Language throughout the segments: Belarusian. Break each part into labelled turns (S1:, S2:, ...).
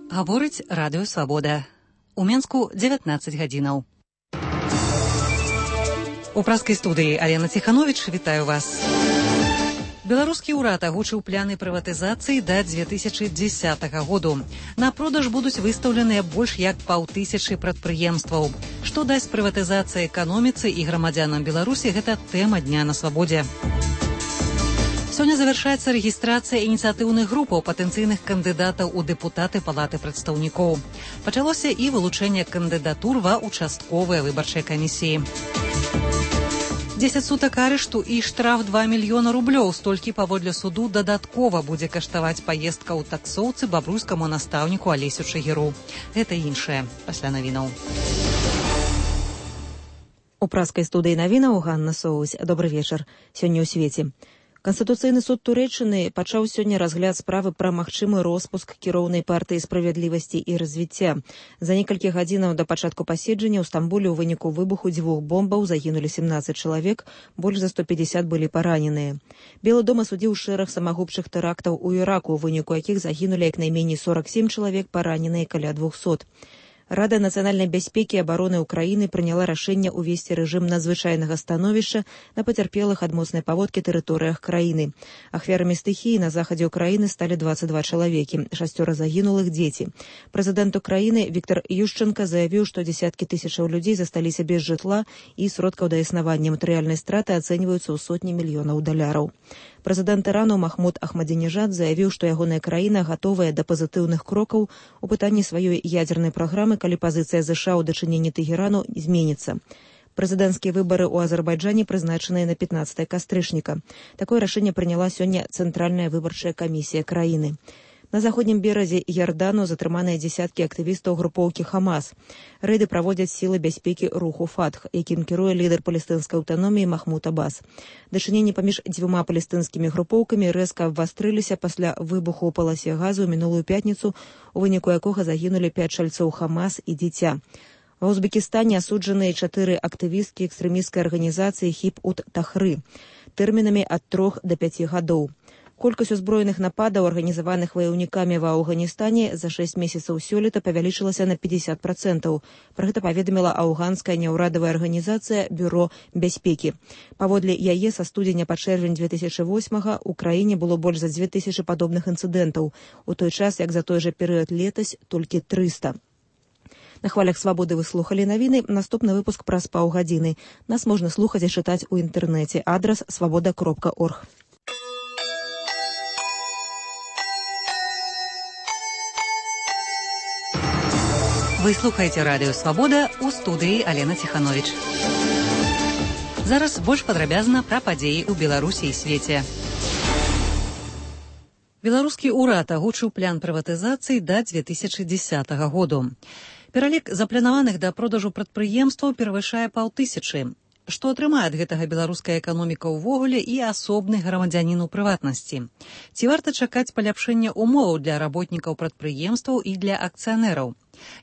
S1: Гаворыць радыё «Свабода». У Менску 19 гадзінаў. У праскай студыі Алена Ціхановіч, вітаю вас. Беларускі ўрад агучыў пляны прыватызацыі да 2010 году. На продаж будуць выстаўленыя больш як 500 прадпрыемстваў. Што дасць прыватызацыя эканоміцы і грамадзянам Беларусі, гэта тэма дня на Свабодзе. Сёння завяршаецца рэгістрацыя ініцыятыўных групаў патэнцыйных кандыдатаў у дэпутаты Палаты прадстаўнікоў. Пачалося і вылучэнне кандыдатур ва ўчастковыя выбарчыя камісіі. 10 сутак арышту і штраф 2 мільёна рублёў. Столькі паводле суду дадаткова будзе каштаваць паездка ў таксоўцы бабруйскаму настаўніку Алесю Чыгіру. Гэта іншае пасля навінаў.
S2: У праскай студыі навінаў Ганна Соусь. Добры вечар. Сёння ў свеце. Канстытуцыйны суд Турэччыны пачаў сёння разгляд справы пра магчымы роспуск кіроўнай партыі справядлівасці і развіцця. За некалькі гадзінаў да пачатку паседжання ў Стамбуле ў выніку выбуху 2 бомбаў загінулі 17 чалавек, больш за 150 былі параненыя. Белы дом асудзіў шэраг самагубчых тэрактаў у Іраку, у выніку якіх загінулі як найменей 47 чалавек, параненыя каля 200. Рада нацыянальнай бяспекі і абароны Украіны прыняла рашэнне ўвесці рэжым надзвычайнага становішча на пацярпелых ад моцнай паводкі тэрыторыях краіны. Ахвярамі стыхіі на захадзе Украіны сталі 22 чалавекі, 6 загінулых дзеці. Прэзідэнт Украіны Віктор Ющенка заявіў, што дзесяткі тысячаў людзей засталіся без жытла і сродкаў да існавання. Матэрыяльнай страты ацэньваюцца ў сотні мільёнаў даляраў. Прэзідэнт Ірану Махмуд Ахмадзінежад заявіў, што ягоная краіна гатовая да пазітыўных крокаў у пытанні сваёй ядзернай праграмы, калі пазіцыя ЗША ў дачыненні Тэгэрану зменіцца. Прэзідэнцкія выбары ў Азербайджане прызначаныя на 15 кастрычніка. Такое рашэнне прыняла сёння Цэнтральная выбарчая камісія краіны. На заходнім беразе Ярдану затрыманыя дзесяткі актывістаў групоўкі Хамас. Рэйды праводзяць сілы бяспекі руху Фатх, якім кіруе лідар палестынскай аўтаноміі Махмуд Аббас. Дачыненні паміж 2 палестынскімі групоўкамі рэзка абвастрыліся пасля выбуху ў паласе газу ў минулую пятніцу, у выніку якога загінулі 5 чальцоў Хамас і дзіця. Ва Узбекістане асуджаныя 4 актывісткі экстрэмісцкай арганізацыі Хиб-ут-Тахры тэрмінамі ад 3 да 5 гадоў. Колькасць узброеных нападаў, арганізаваных ваяўнікамі ва Афганістане, за 6 месяцаў сёлета павялічылася на 50%. Пра гэта паведаміла афганская няўрадавая арганізацыя Бюро бяспекі. Паводле яе, са студзеня па чэрвень 2008 у краіне было больш за 2000 падобных інцыдэнтаў, у той час, як за той жа перыяд летась толькі 300. На хвалях Свабоды вы слухалі навіны. Наступны выпуск праз паўгадзіны. Нас можна слухаць і чытаць у інтэрнэце. Адрас swaboda.org.
S1: Вы слухаеце радыё «Свабода», у студыі Алена Ціхановіч. Зараз больш падрабязна пра падзеі ў Беларусі і свеце. Беларускі ўрад агучыў плян прыватызацыі да 2010 году. Пералік запланаваных да продажу прадпрыемстваў перавышае 500. Што атрымае ад гэтага беларуская эканоміка ўвогуле і асобны грамадзянін у прыватнасці? Ці варта чакаць паляпшэння умоваў для работнікаў прадпрыемстваў і для акцыянераў?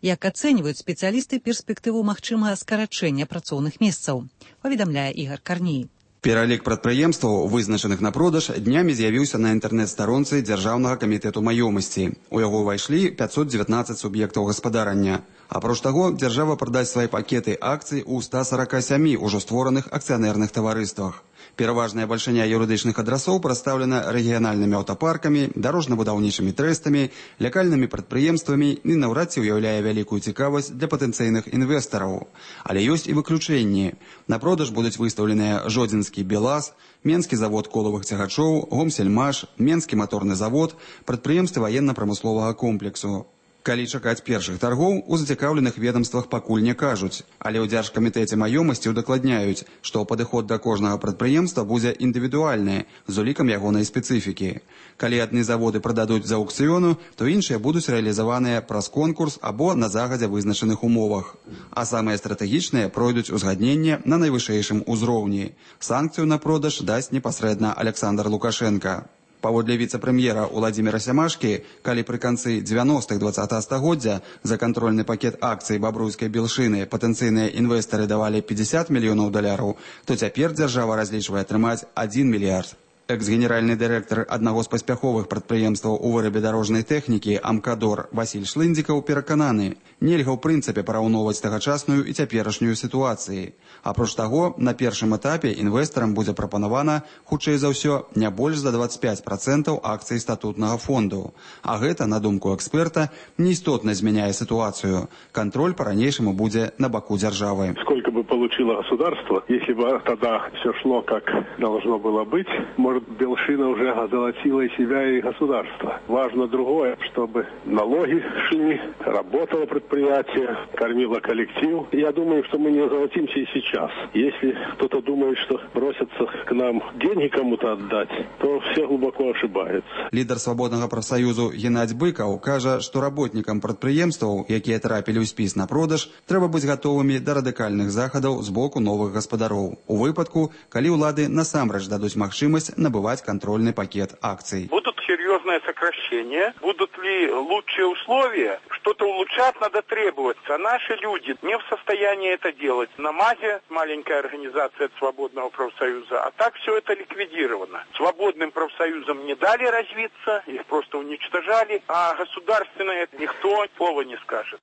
S1: Як ацэньваюць спецыялісты перспектыву магчымага скарачэння працоўных месцаў? Паведамляе Ігар Карній.
S3: Пералік прадпрыемстваў, вызначаных на продаж, днямі з'явіўся на інтэрнэт-старонцы Дзяржаўнага камітэту маёмасці. У яго ўвайшлі 519 суб'ектаў гаспадарання. Апроч таго, дзяржава прадасць свае пакеты акцый у 147 ужо створаных акцыянерных таварыствах. Пераважная бальшыня юрыдычных адрасоў прадстаўлена рэгіянальнымі аўтапаркамі, дарожна-будаўнічымі трэстамі, лякальнымі прадпрыемствамі і наўрад ці ўяўляе вялікую цікавасць для патэнцыйных інвестараў. Але ёсць і выключэнні. На продаж будуць выстаўленыя Жодзінскі БелАЗ, Менскі завод колавых цягачоў, Гомсельмаш, Менскі маторны завод, прадпрыемствы ваенна-прамысловага комплексу. Калі чакаць першых таргоў, у зацікаўленых ведамствах пакуль не кажуць, але ў Дзяржкамітэце маёмасці удакладняюць, што падыход да кожнага прадпрыемства будзе індывідуальны, з улікам ягонай спецыфікі. Калі адны заводы прададуць з аўкцыёну, то іншыя будуць рэалізаваныя праз конкурс або на загадзя вызначаных умовах. А самыя стратэгічныя пройдуць узгадненне на найвышэйшым узроўні. Санкцыю на продаж дасць непасрэдна Александр Лукашенка. Паводле віцэ-прэм'ера Уладзіміра Сямашкі, калі пры канцы 90-х 20-го стагоддзя за кантрольны пакет акцый бабруйскай белшыны патэнцыйныя інвестары давалі 50 мільёнаў даляраў, то цяпер дзяржава разлічвае атрымаць 1 мільярд. Экс-генеральны дырэктар аднаго з паспяховых прадпрыемстваў у вырабе дарожнай тэхнікі «Амкадор» Васіль Шлындзікаў перакананы, нельга ў прынцыпе параўноўваць тагачасную і цяперашнюю сітуацыі. Апроч таго, на першым этапе інвестарам будзе прапанавана, хутчэй за ўсё, не больш за 25% акцый статутнага фонду. А гэта, на думку эксперта, неістотна змяняе сітуацыю. Контроль по-ранейшаму будзе на баку дзяржавы.
S4: Сколько бы получило государство, если бы тогда все шло как должно было быть, может, Белшина уже озолотила и себя, и государство. Важно другое, чтобы налоги шли, работало предприятие, кормило коллектив. Я думаю, что мы не озолотимся и сейчас. Если кто-то думает, что бросятся к нам деньги кому-то отдать, то все глубоко ошибаются.
S3: Лідар свабоднага прафсаюзу Геннадзь Быкаў кажа, што работнікам прадпрыемстваў, якія трапілі ў спіс на продаж, трэба быць гатовымі да радыкальных захадаў з боку новых гаспадароў. У выпадку, калі ўлады насамрэч дадуць магчымасць набывать контрольный пакет акций.
S5: Будут серьезные сокращения, будут ли лучшие условия, что-то улучшать надо требовать. А наши люди не в состоянии это делать. На МАЗе маленькая организация свободного профсоюза, а так все это ликвидировано. Свободным профсоюзам не дали развиться, их просто уничтожали, а государственное никто слова не скажет.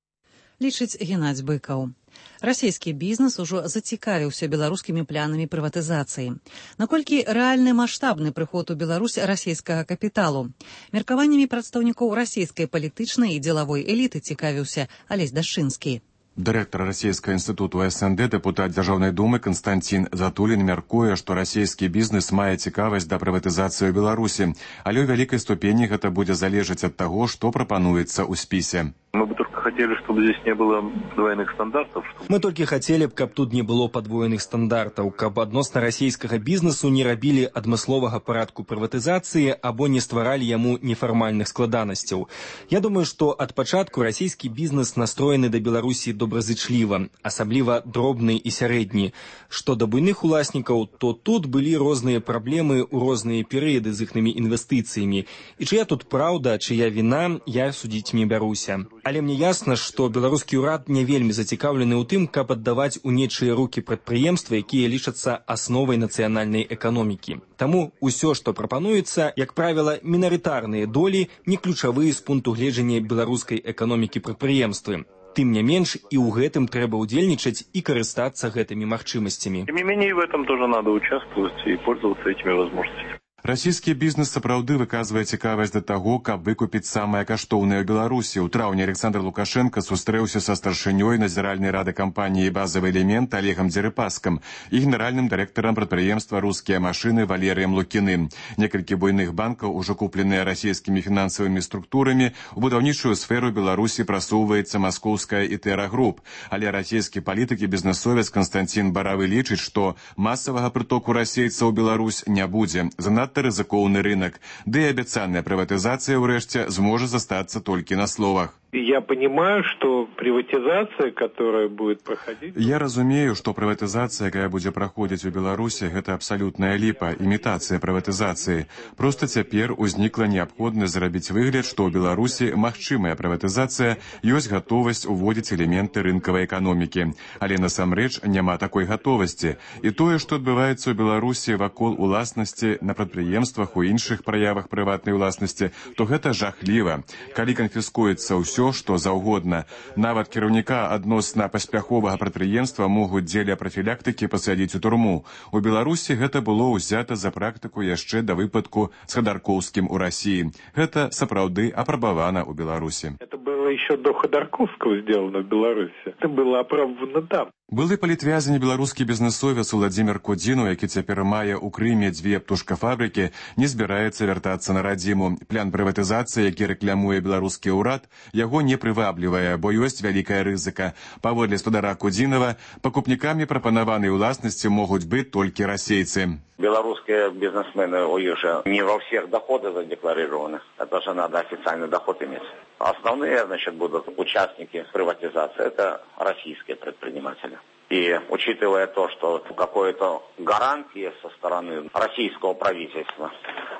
S1: Лічыць Геннадзь Быкаў. Расійскі бізнес ужо зацікавіўся беларускімі планамі прыватызацыі. Наколькі рэальны маштабны прыход у Беларусь расійскага капіталу? Меркаваннямі прадстаўнікоў расійскай палітычнай і дзелавой эліты цікавіўся Алесь Дашчынскі.
S6: Дырэктар расійскага інстытуту СНД, дэпутат Дзяржаўнай думы Канстантин Затулін мяркуе, што расійскі бізнес мае цікавасць да прыватызацыі ў Беларусі, але ў вялікай ступені гэта будзе залежаць ад таго, што прапануецца ў спісе.
S7: Мы бы только хотели, чтобы здесь не было двойных стандартов.
S8: Мы только хотели, каб тут не было подвоеных стандартаў, каб адносна расійскага бізнесу не рабілі адмысловага парадку прыватызацыі або не стваралі яму нефармальных складанасцяў. Я думаю, што ад пачатку расійскі бізнес настроены да Беларусі добразычліва, асабліва дробны і сярэдні. Што да буйных уласнікаў, то тут былі розныя праблемы ў розныя перыяды з іхнымі інвестыцыямі. І чыя тут праўда, чыя віна, я судзіць не бяруся. Але мне ясна, што беларускі ўрад не вельмі зацікаўлены ў тым, каб аддаваць у нечыя рукі прадпрыемствы, якія лічацца асновай нацыянальнай эканомікі. Таму ўсё, што прапануецца, як правіла, мінарытарныя долі, не ключавыя з пункту гледжання беларускай эканомікі прадпрыемствы. Тым не менш, і ў гэтым трэба ўдзельнічаць і карыстацца гэтымі магчымасцямі.
S7: Тем не менее, в этом тоже надо участвовать и пользоваться этими возможностями.
S6: Расійскі бізнес сапраўды выказвае цікавасць да таго, каб выкупіць самае каштоўнае ў Беларусі. У траўні Александр Лукашенко сустрэўся са старшынёй назіральнай рады кампаніі «Базавы элемент» Олегам Дзерыпаскам і генеральным дырэктарам прадпрыемства «Рускія машыны» Валерыем Лукіным. Некалькі буйных банкаў, ужо купленыя расійскімі фінансавымі структурамі, у будаўнічую сферу Беларусі прасоўваецца маскоўская «Ітэра Груп». Але расійскі палітык і бізнесовец Константин Баравы лічыць, што масавага прытоку расейцаў у Беларусь не будзе. Занадта рызыкоўны рынок, ды і абяцаная прыватызацыя ўрэшце зможа застацца толькі на словах.
S4: Я понимаю, что приватизация, которая будет проходить...
S6: Я разумею, што прыватызацыя, якая будзе праходзіць у Беларусі, гэта абсалютная ліпа, імітацыя прыватызацыі. Проста цяпер узнікла неабходнасць зрабіць выгляд, што ў Беларусі магчымая прыватызацыя, ёсць гатовасць уводзіць элементы рынкавай эканомікі. Але насамрэч няма такой гатовасці. І тое, што адбываецца ў Беларусі вакол уласнасці на прадпрыемствах, у іншых праявах прыватнай уласнасці, то гэта жахліва. Калі канфіскуецца ўсё, што заўгодна. Нават кіраўніка адносна паспяховага прадпрыемства могуць дзеля прафілактыкі пасадзіць у турму. У Беларусі гэта было ўзята за практыку яшчэ да выпадку з Ходорковскім у Расіі. Гэта сапраўды апрабавана ў Беларусі.
S4: Это было еще до Ходорковского сделано в Беларуси. Это было апробовано там.
S6: Былы палітвязень беларускі бізнесовец Владзімір Кудзінаў, які цяпер мае ў Крыме 2 птушкафабрыкі, не збіраецца вяртацца на радзіму. План прыватызацыі, які рэклямуе беларускі ўрад, яго не прываблівае, бо ёсць вялікая рызыка. Паводле спадара Кудзінава, пакупнікамі прапанаванай уласнасці могуць быць толькі расейцы.
S9: Белорусские бизнесмены уже не во всех доходы задекларированы. Это же надо официальный доход иметь. Основные, будут участники приватизации. Это российские предприниматели. И учитывая то, что какое-то гарантия со стороны российского правительства,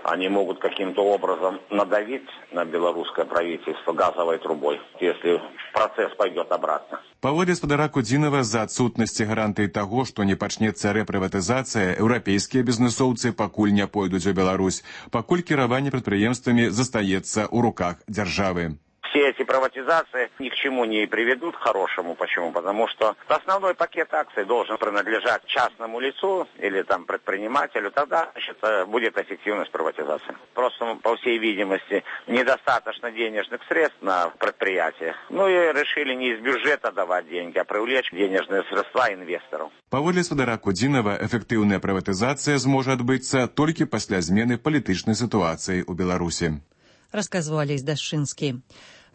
S9: они могут каким-то образом надавить на белорусское правительство газовой трубой, если процесс пойдет обратно.
S6: Паводле спадара Кудзінава, з-за адсутнасці гарантый таго, што не пачнецца рэпрыватызацыя, еўрапейскія бізнэсоўцы пакуль не пойдуць у Беларусь, пакуль кіраванне прадпрыемствамі застаецца ў руках дзяржавы.
S9: Все эти приватизации ни к чему не приведут хорошему. Почему? Потому что основной пакет акций должен принадлежать частному лицу или там предпринимателю. Тогда, значит, будет эффективность приватизации. Просто, по всей видимости, недостаточно денежных средств на предприятиях. Ну и решили не из бюджета давать деньги, а привлечь денежные средства инвесторов.
S6: Паводле спадара Кудзінава, эфектыўная прыватызацыя зможа адбыцца толькі пасля змены палітычнай сітуацыі ў Беларусі.
S1: Расказваў Алесь Дашчынскі.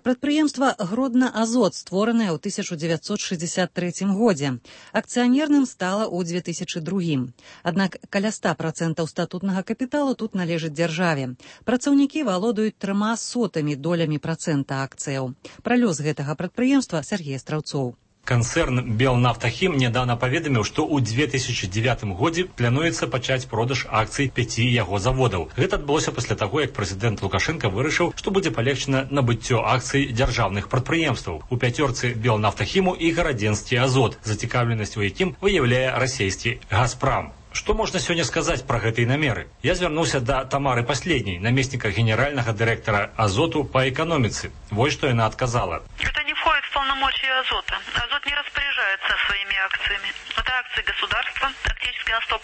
S1: Прадпрыемства «Гродна-Азот», створанае ў 1963 годзе. Акцыянерным стала ў 2002. Аднак каля 100% статутнага капіталу тут належыць дзяржаве. Працаўнікі валодаюць 0,03 долямі процента акцыяў. Пра лёс гэтага прадпрыемства Сергей Страўцоў.
S10: Канцэрн «Белнафтахім» недавно паведаміў, што ў 2009 годзе плануецца пачаць продаж акцый 5 яго заводаў. Гэта адбылося пасля таго, як прэзідэнт Лукашенко вырашыў, што будзе палегчана набыццё акцый дзяржаўных прадпрыемстваў. У пяцёрцы «Белнафтахіму» і «Гарадзенскі Азот», зацікаўленасць у якім выяўляе расійскі «Газпрам». Што можна сёння сказаць пра гэтыя намеры? Я звярнуўся да Тамары Паследняй, намесніка генеральнага дырэктара «Азоту» па эканоміцы. Вось што яна адказала.
S11: Это не входит в полномочия «Азота». «Азот» не распоряжается своими акциями. Это акции государства, практически на 100%.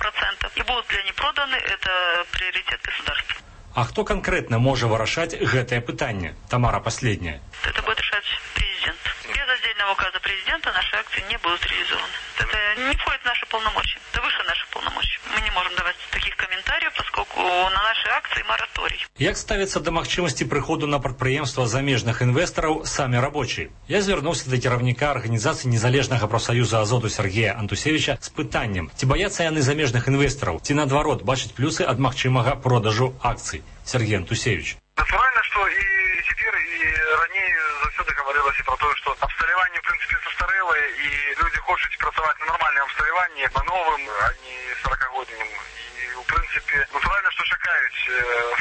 S11: И будут ли они проданы, это приоритет государства.
S10: А хто канкрэтна можа вырашаць гэтае пытанне? Тамара Паследняя.
S11: Это будет решать президент. Без отдельного указа президента наши акции не будут реализованы. Это не входит в наши полномочия. Это выше наших полномочий. Мы не можем давать таких комментариев, поскольку на наши акции мораторий.
S10: Як ставіцца да магчымасці прыходу на прадпрыемства замежных інвестараў самі рабочыя? Я звярнуўся да кіраўніка арганізацыі незалежнага прафсаюза «Азоту» Сергея Антусевича з пытаннем, ці баяцца яны замежных інвестараў, ці наадварот бачаць плюсы ад магчымага продажу акцый. Сергей Антусевич.
S12: Натурально, что и теперь, и ранее завсёды говорилось и про то, что абсталяванне, в принципе, састарэлае, и люди хочуць працаваць на нормальном абсталяванні, на новым, а не 40-годнім. И, в принципе, натурально, что чакаюць,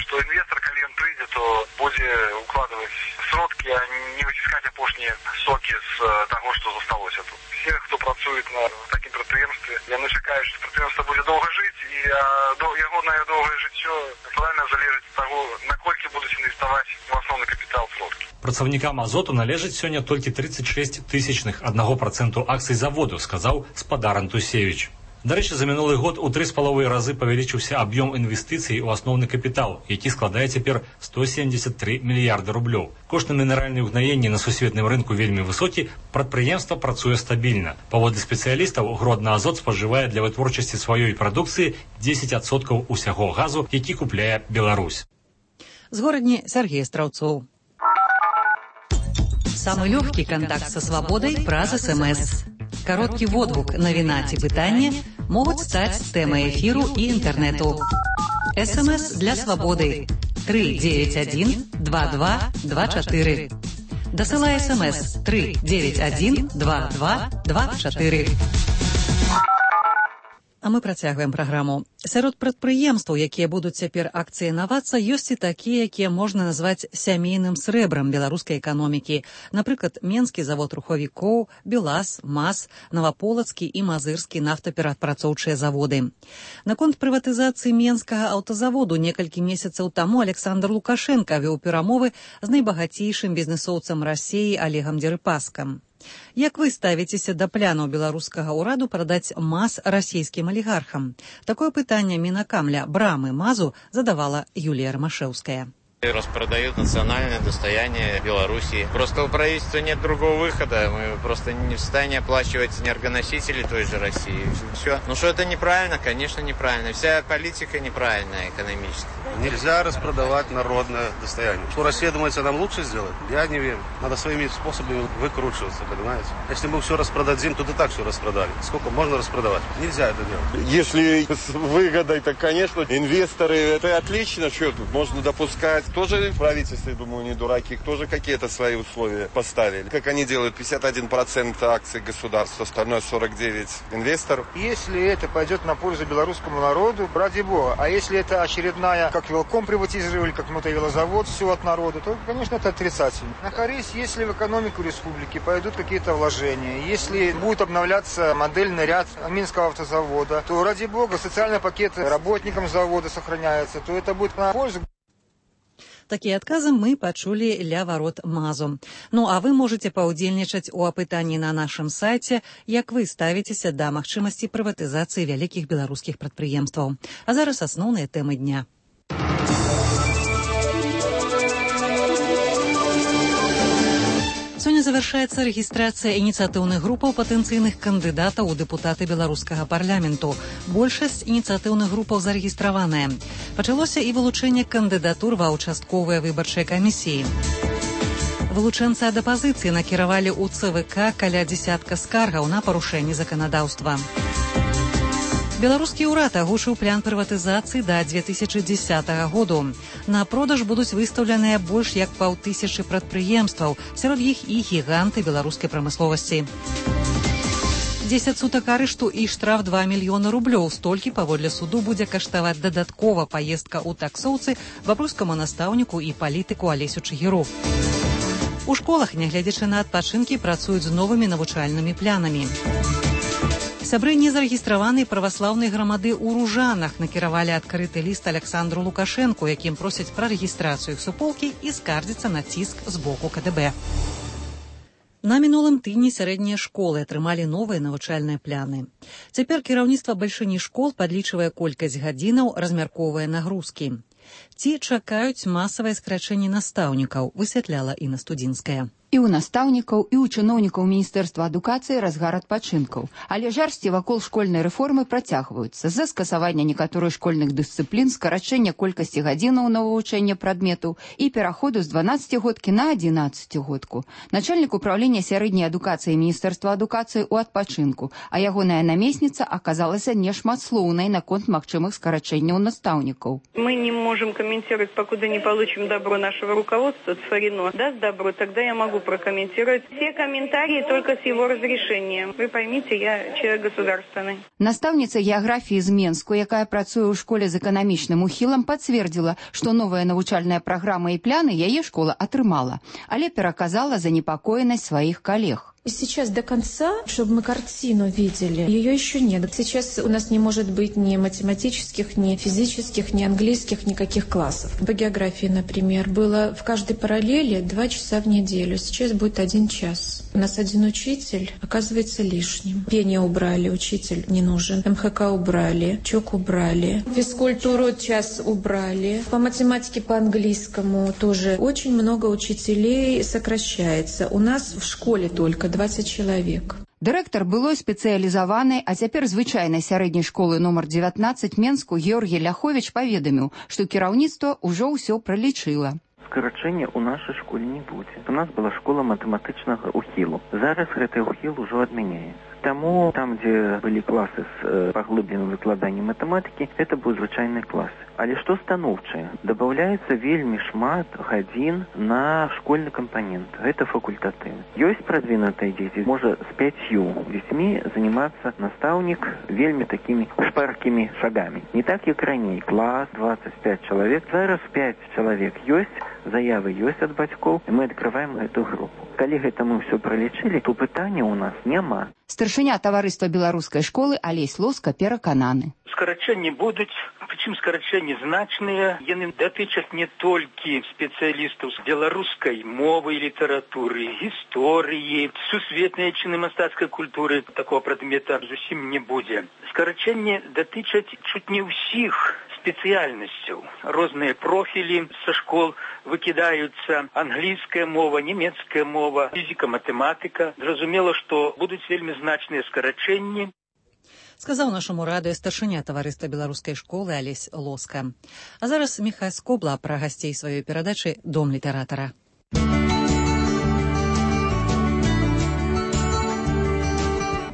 S12: что инвестор, калі ён прыйдзе, то будзе укладывать сродки, а не выціскаць апошнія соки з того, что засталося тут. Все, кто працует на такім прадпрыемстве, яны чакаюць, что прадпрыемство будзе доўга жыць, і ягонае доўгае жыццё натуральна залежыць ад таго, наколькі будуць інвеставаць у асноўны капітал сродкі.
S10: Працаўнікам «Азоту» належыць сёння толькі 36,1% акцый заводу, сказаў спадар Антусевич. Дарэчы, за мінулы год у 3,5 разы павялічыўся аб'ём інвестыцый у асноўны капітал, які складае цяпер 173 мільярды рублёў. Кошт на мінеральныя ўгнаенні на сусветным рынку вельмі высокі, прадпрыемства працуе стабільна. Паводле спецыялістаў, «Гродна-Азот» спажывае для вытворчасці сваёй прадукцыі 10% усяго газу, які купляе Беларусь.
S1: З горадні Сергей Страўцоў. Самы лёгкі кантакт са свабодай праз СМС. Кароткі водгук, навіна ці пытанне могуць стаць тэмай эфіру і інтэрнэту. СМС для свабоды 391 22 24. Дасылай СМС 391 22 24. А мы працягваем праграму. Сярод прадпрыемстваў, якія будуць цяпер акцыянавацца, ёсць і такія, якія можна назваць сямейным срэбрам беларускай эканомікі. Напрыклад, Менскі завод рухавікоў, БелАЗ, МАЗ, Наваполацкі і Мазырскі нафтаперапрацоўчыя заводы. Наконт прыватызацыі Менскага аўтазаводу некалькі месяцаў таму Александр Лукашенко вёў перамовы з найбагацейшым бізнэсоўцам Расіі Олегам Дерипаскам. Як вы ставіцеся да планаў беларускага ўраду прадаць МАЗ расійскім алігархам? Такое пытанне Мінакамля Брамы МАЗу задавала Юлія Ромашевская.
S13: Распродают национальное достояние Беларуси. Просто у правительства нет другого выхода. Мы просто не в состоянии оплачивать энергоносители той же России. Все. Ну что это неправильно? Конечно, неправильно. Вся политика неправильная экономическая.
S14: Нельзя распродавать народное достояние. Что Россия думает, нам лучше сделать? Я не верю. Надо своими способами выкручиваться, понимаете? Если мы все распродадим, то и так все распродали. Сколько можно распродавать? Нельзя это делать.
S15: Если с выгодой, то, конечно, инвесторы, это отлично. Что тут можно допускать? Тоже в правительстве, думаю, не дураки, тоже какие-то свои условия поставили. Как они делают, 51% акций государства, остальное 49% инвесторов.
S16: Если это пойдет на пользу белорусскому народу, ради бога. А если это очередная, как велком приватизировали, как мотовелозавод, все от народа, то, конечно, это отрицательно. На корысть, если в экономику республики пойдут какие-то вложения, если будет обновляться модельный ряд Минского автозавода, то, ради бога, социальные пакеты работникам завода сохраняются, то это будет на пользу.
S1: Такія адказы мы пачулі ля варот МАЗу. Ну, а вы можете паўдзельнічаць у апытанні на нашым сайце, як вы ставіцеся да магчымасці прыватызацыі вялікіх беларускіх прадпрыемстваў. А зараз асноўныя тэмы дня. Сёння завяршаецца рэгістрацыя ініцыятыўных групаў патэнцыйных кандыдатаў у дэпутаты беларускага парламенту. Большасць ініцыятыўных групаў зарэгістраваная. Пачалося і вылучэнне кандыдатур ва ўчастковыя выбарчыя камісіі. Вылучэнцы ад апазіцыі накіравалі ў ЦВК каля дзесятка скаргаў на парушэнне заканадаўства. Беларускі ўрад агучыў план прыватызацыі да 2010 году. На продаж будуць выстаўленыя больш як 5000 прадпрыемстваў, сярод іх і гіганты беларускай прамысловасці. 10 сутак арышту і штраф 2 мільёны рублёў. Столькі, паводле суду, будзе каштаваць дадаткова паездка ў таксоўцы бабруйскаму настаўніку і палітыку Алесю Чыгіру. У школах, нягледзячы на адпачынкі, працуюць з новымі навучальнымі планамі. Сябры незарэгістраванай праваслаўнай грамады ў Ружанах накіравалі адкрыты ліст Александру Лукашэнку, якім просяць пра рэгістрацыю суполкі і скардзіцца на ціск з боку КДБ. На мінулым тыдні сярэднія школы атрымалі новыя навучальныя пляны. Цяпер кіраўніцтва бальшыні школ падлічвае колькасць гадзінаў, размяркоўвае нагрузкі. Ці чакаюць масавае скарачэнне настаўнікаў, высвятляла Інна Студзінская.
S17: І ў настаўнікаў, і ў чыноўнікаў Міністэрства адукацыі разгар адпачынкаў. Але жарсці вакол школьнай рэформы працягваюцца. З-за скасавання некаторых школьных дысцыплін, скарачэння колькасці гадзінаў на вывучэнне прадметаў і пераходу з 12-годкі на 11-годку. Начальнік управлення сярэдняй адукацыі Міністэрства адукацыі ў адпачынку, а ягоная намесніца аказалася нешматслоўнай наконт магчымых скарачэнняў настаўнікаў.
S18: Мы не можем комментировать, покуда не получим добро нашего руководства, Цфарино даст добро, тогда я могу прокомментировать все комментарии только с его разрешением. Вы поймите, я человек государственный.
S17: Настаўніца геаграфіі з Менску, якая працуе ў школе з эканамічным ухілам, пацвердзіла, што новая навучальная праграма і пляны яе школа атрымала, але пераказала занепакоенасць сваіх калег.
S19: Сейчас до конца, чтобы мы картину видели, ее еще нет. Сейчас у нас не может быть ни математических, ни физических, ни английских, никаких классов. По географии, например, было в каждой параллели 2 часа в неделю. Сейчас будет 1 час. У нас 1 учитель оказывается лишним. Пение убрали, учитель не нужен. МХК убрали, ЧОК убрали. Физкультуру час убрали. По математике, по английскому тоже очень много учителей сокращается. У нас в школе только 20 чалавек.
S17: Дырэктар былой спецыялізаванай, а цяпер звычайнай сярэдняй школы нумар 19 Менску Георгій Ляховіч паведаміў, што кіраўніцтва ўжо ўсё пралічыла.
S20: Скарачэння ў нашай школе не будзе. У нас была школа матэматычнага ухілу. Зараз гэты ухіл ужо адмяняецца. Таму там, дзе былі класы з паглыбленым выкладаннем матэматыкі, это будуць звычайныя класы. Але што станоўчае? Дабаўляецца вельмі шмат гадзін на школьны кампанент. Гэта факультатыў. Ёсць прадвінутыя дзеці. Можа, з 5 дзецьмі занимацца настаўнік вельмі такімі шпаркімі шагамі. Не так, як раней. Клас, 25 чалавек. Зараз 5 чалавек ёсць, заявы ёсць ад бацькоў, і мы адкрываем эту групу. Калі гэта мы ўсё пралічылі, то пытання ў нас няма.
S17: Старшыня таварыства беларускай школы Алесь Лоска перакананы.
S21: Скарачэнні будуць, прычым скарачэнні значныя. Яны датычаць не толькі спецыялістаў з беларускай мовы і літаратуры, гісторыі, сусветнай чыны мастацкай культуры. Такого прадмета зусім не будзе. Скарачэнні датычаць чуць не ўсіх спецыяльнасцяў. Розныя профілі са школ выкідаюцца. Англійская мова, нямецкая мова, фізіка, матэматыка. Зразумела, што будуць вельмі значныя скарачэнні.
S1: Сказаў нашаму радыё старшыня таварыства беларускай школы Алесь Лоска. А зараз Міхай Скобла пра гасцей сваёй перадачы «Дом літаратара».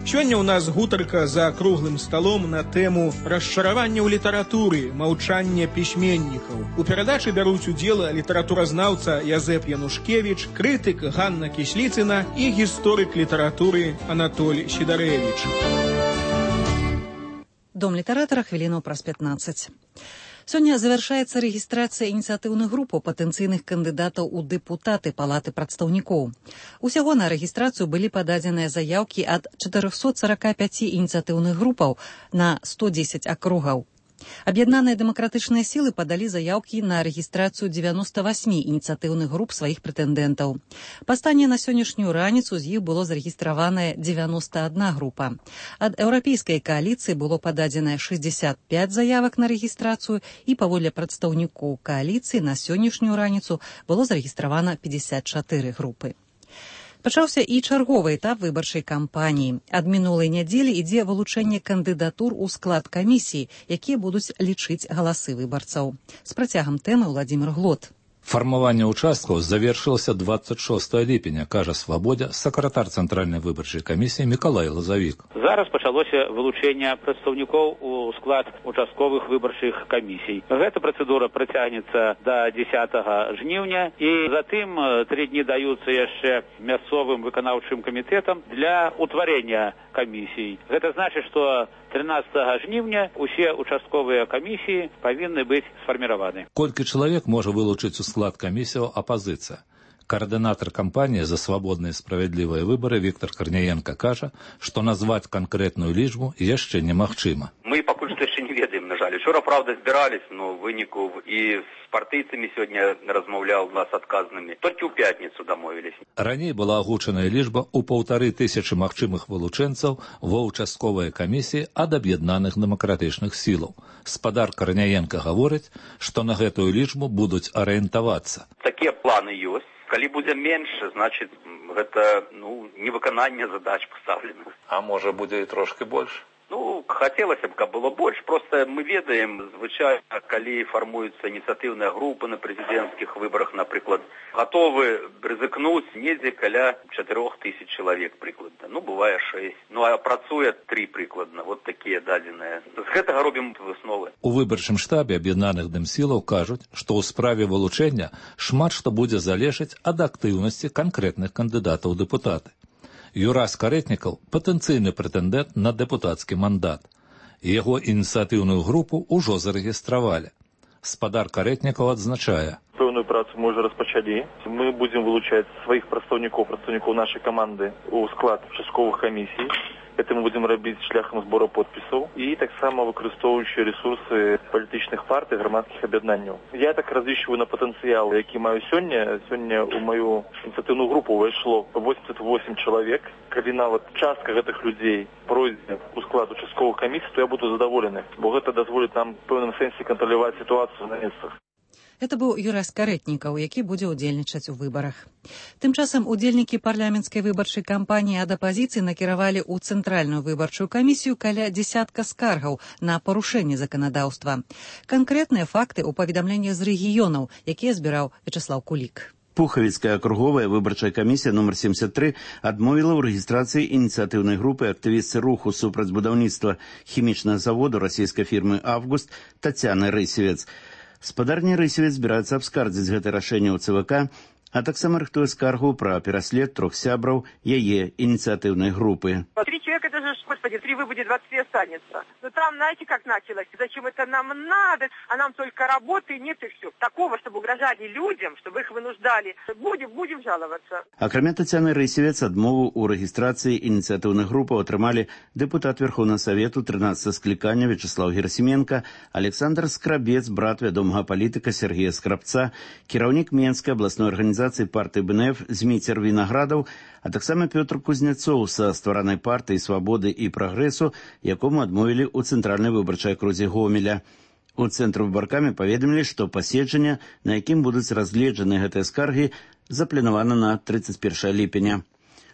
S2: Сёння ў нас гутарка за круглым сталом на тэму расчаравання ў літаратуры, маўчання пісьменнікаў. У перадачы бяруць удзел літаратуразнаўца Язэп Янушкевіч, крытык Ганна Кісліцына і гісторык літаратуры Анатоль Сідарэвіч.
S1: Дом літаратара хвілінаў праз 15. Сёння завяршаецца рэгістрацыя ініцыятыўных груп патэнцыйных кандыдатаў у дэпутаты Палаты прадстаўнікоў. Усяго на рэгістрацыю былі пададзеныя заяўкі ад 445 ініцыятыўных групаў на 110 акругаў. Аб'яднаныя дэмакратычныя сілы падалі заяўкі на рэгістрацыю 98 ініцыятыўных груп сваіх прэтэндэнтаў. Па стане на сённяшнюю раніцу з іх было зарэгістраваная 91 група. Ад еўрапейскай кааліцыі было пададзена 65 заявак на рэгістрацыю і паводле прадстаўнікоў кааліцыі на сённяшнюю раніцу было зарэгістравана 54 групы. Пачаўся і чарговы этап выбарчай кампаніі. Ад мінулай нядзелі ідзе вылучэнне кандыдатур у склад камісіі, якія будуць лічыць галасы выбарцаў. З працягам тэмы Владзімир Глот.
S22: Фармаванне ўчасткаў завершылася 26 ліпеня, кажа Свабодзе, сакратар Цэнтральнай выбарчай камісіі Мікалай Лазавік.
S23: Зараз пачалося вылучэнне прадстаўнікоў у склад участковых выбарчых камісій. Гэта працэдура працягнецца да 10 жніўня і затым 3 дні даюцца яшчэ мясцовым выканаўчым камітэтам для утварэння камісій. Гэта значыць, што 13 жніўня усе участковыя камісіі павінны быць сфарміраваны.
S22: Колькі чалавек можа вылучыць у склад камісіяў апазіцыя? Координатор кампании «За свободные и справедливые выборы» Виктор Корнієнко кажа, што назваць канкрэтную лічбу яшчэ немагчыма.
S24: Мы пакуль што яшчэ не ведаем, на жаль. Учора, правда, збірались, но выніку і з партыйцамі сёння размаўляў нас адказнымі. Толькі ў пятніцу дамовілись.
S22: Раней была агучаная лічба ў 1500 магчымых вылучэнцаў ва ўчастковыя камісіі ад аб'яднаных дэмакратычных сілаў. Спадар Корнієнко гаворыць, што на гэтую лічбу будуць арыентавацца.
S24: Такія планы ёсць. Калі будзе менш, значыць, гэта невыкананне задач пастаўленых.
S25: А можа будзе і трошки больш?
S24: Хацелася б, каб было больш. Просто мы ведаем, звычайна, калі фармуюцца ініцыятыўныя групы на прэзідэнцкіх выбарах, напрыклад, гатовы рызыкнуць недзе каля 4000 чалавек прыкладна. Бывае 6. А працуе 3 прыкладна. Вот такія дадзеныя. З гэтага робім высновы.
S22: У выбарчым штабе аб'яднаных дэмсілаў кажуць, што ў справе вылучэння шмат што будзе залежаць ад актыўнасці канкрэтных кандыдатаў у дэпутаты. Юрас Карэтнікаў – патэнцыйны прэтэндэнт на дэпутацкі мандат. Яго ініцыятыўную групу ўжо зарэгістравалі. Спадар Карэтнікаў адзначае.
S25: Пэўную працу мы ўжо распачалі. Мы будзем вылучаць сваіх прадстаўнікоў нашай каманды ў склад участковых камісій. Это мы будем рабіць шляхам збору подпісаў і таксама выкарыстоўваючы ресурсы палітычных партый, грамадскіх аб'яднанняў. Я так разлічваю на патэнцыял, які маю сёння. Сёння ў маю ініцыятыўную групу ўвайшло 88 чалавек. Калі нават частка гэтых людзей пройдзе ў склад участковых камісій, то я буду задаволены, бо гэта дазволіць нам в пэўным сэнсе кантраляваць сітуацыю на месцах.
S1: Это быў Юрас Карэтнікаў, які будзе ўдзельнічаць у выбарах. Тым часам удзельнікі парламенцкай выбарчай кампаніі ад апазіцыі накіравалі ў Цэнтральную выбарчую камісію каля дзясятка скаргаў на парушэнне заканадаўства. Канкрэтныя факты ў паведамленнях з рэгіёнаў, якія збіраў Вячеслав Кулік.
S26: Пухавіцкая акруговая выбарчая камісія нумар 73 адмовіла ў рэгістрацыі ініцыятыўнай групы актывістцы руху супраць будаўніцтва хімічнага заводу расійскай фірмы «Август» Тацяны Рысевец. Спадарня Рысевец збіраецца абскардзіць гэта рашэнне ў ЦВК, а таксама рыхтуе скаргу пра пераслед 3 сябраў яе инициативной группы.
S27: 3 человека, это же, господи, 3 выбудет, 23 останется. Но там, знаете, как началось? Зачем это нам надо? А нам только работы нет и все. Такого, чтобы угрожали людям, чтобы их вынуждали. Будем жаловаться.
S26: Акрамя Тацяны Рысевец, адмову у регистрации инициативных групп атрымалі депутат Верховного Совету 13 скликания Вячеслав Герасименко, Александр Скрабец, брат вядомага палітыка Сергея Скрабца, кіраўнік Менскай областной организации партии БНФ Зміцер Виноградов, а таксама Пётр Кузнецоў са стваранай партыі «Свабоды і прагрэсу», якому адмовілі ў цэнтральнай выбарчай акрузе Гомеля. У цэнтру выбаркамі паведамілі, што паседжанне, на якім будуць разгледжаны гэтыя скаргі, запланавана на 31 ліпеня.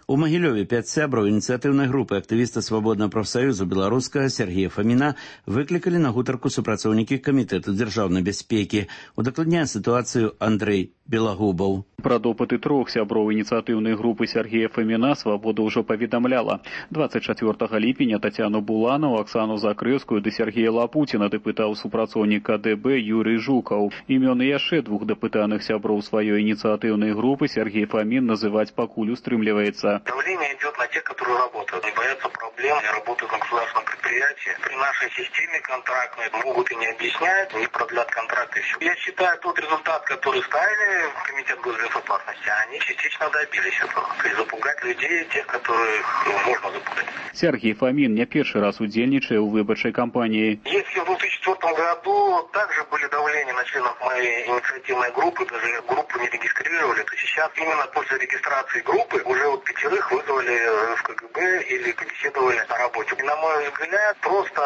S26: У Магілёве 5 сябраў ініцыятыўнай групы актывіста Свабоднага прафсаюзу беларускага Сергея Фаміна выклікалі на гутарку супрацоўнікі камітэту дзяржаўнай бяспекі. Удакладняе сітуацыю Андрэй Белагубаў.
S3: Пра допыты 3 сяброў ініцыятыўнай групы Сергея Фоміна «Свабода» ўжо паведамляла. 24 ліпеня Татьяну Буланову, Оксану Закревскую ды Сергея Лапутіна дапытаў супрацоўнік КДБ Юрий Жукаў. Імёны яшчэ 2 дапытаных сяброў сваёй инициативной группы Сергей Фомин называть покуль устремливается.
S4: Давление идет на тех, которые работают, не боятся проблем, не работают на государственном предприятии. При нашей системе контрактной могут и не объяснять, не продлят контракты. Я считаю, тот результат, который ставили в Комитет госбезопасности, они частично добились этого. То есть запугать людей, тех, которых можно запугать.
S3: Сергей Фомин не первый раз удельничая в выборчей кампании.
S4: Если в 2004 году также были давления на членов моей инициативной группы, даже группу не регистрировали, то сейчас именно после регистрации группы уже вот 5 вызвали в КГБ или побеседовали на работе. И, на мой взгляд, просто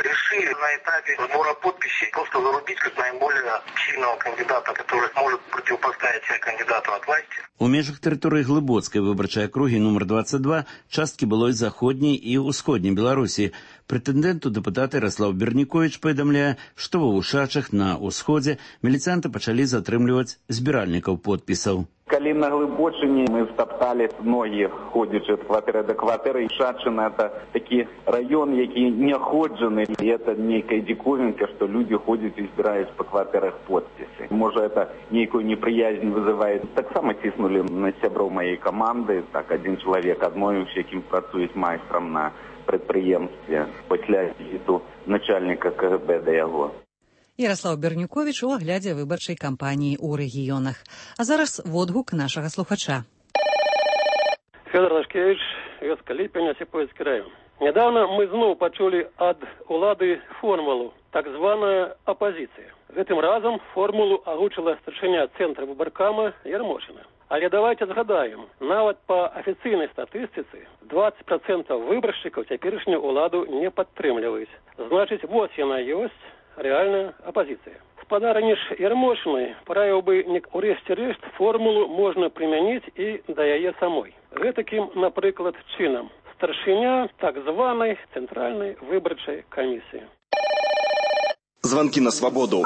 S4: решили на этапе сбора подписей просто зарубить как наиболее сильного кандидата, который может противопоставить кандидату от власти.
S26: У межах тэрыторыі Глыбоцкай выбарчай акругі нумар 22 часткі былой заходняй і ўсходняй Беларусі. Прэтэндэнт у дэпутата Ярослав Берніковіч паведамляе, што ва Ушачах на ўсходзе міліцыянты пачалі затрымліваць збіральнікаў подпісаў.
S5: Калі на Глыбочыне мы втаптали ноги, ходячи от кватэры до кватэры, Шачына это такі раён, які не ходжаны, і это нейкая диковинка, что люди ходят и збираюць по кватэрах подписи. Может, это нейкую неприязнь вызывает. Так само тиснули на сяброў моей команды, так один человек адмовіўся, якім працуюць майстрам на предприемстве пасля візіту начальника КГБ да яго.
S1: Ярослав Бернюкович у аглядзе выбарчай кампаніі ў рэгіёнах. А зараз водгук нашага слухача.
S6: Федор Лашкевич, вёска Ліпень, Осіпоўскі район. Недавно мы зноў пачулі ад улады формулу, так званая апозіцыя. Гэтым разам формулу агучыла старшыня цэнтра выбаркама Ярмошына. Але давайте згадаем, нават па афіцыйнай статыстыцы 20% выбаршчыкаў цяперашнюю уладу не падтрымліваюць. Значыць, вот яна ёсць реальная оппозиция. Спадарыні ж Ярмошынай параіў бы урэшце-рэшт формулу можна прымяніць і да яе самой. Гэтакім, напрыклад, чынам. Старшыня так званай цэнтральнай выбарчай камісіі.
S7: Звонки на свободу.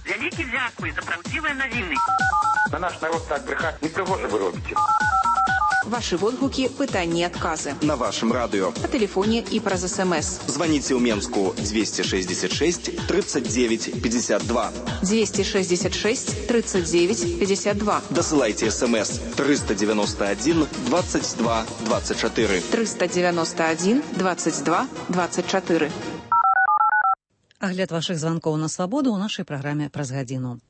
S8: Вялікі дзякуй за праўдзівыя навіны.
S21: На наш народ так брехать не пригоже вы робите.
S9: Ваши водгуки, пытания и отказы.
S7: На вашем радио.
S9: По телефоне и праз СМС.
S7: Звоните в Менску 266 39 52.
S9: 266 39 52.
S7: Досылайте СМС 391 22 24.
S9: 391 22 24.
S1: Агляд вашых званкоў на свабоду ў нашай праграме праз гадзіну.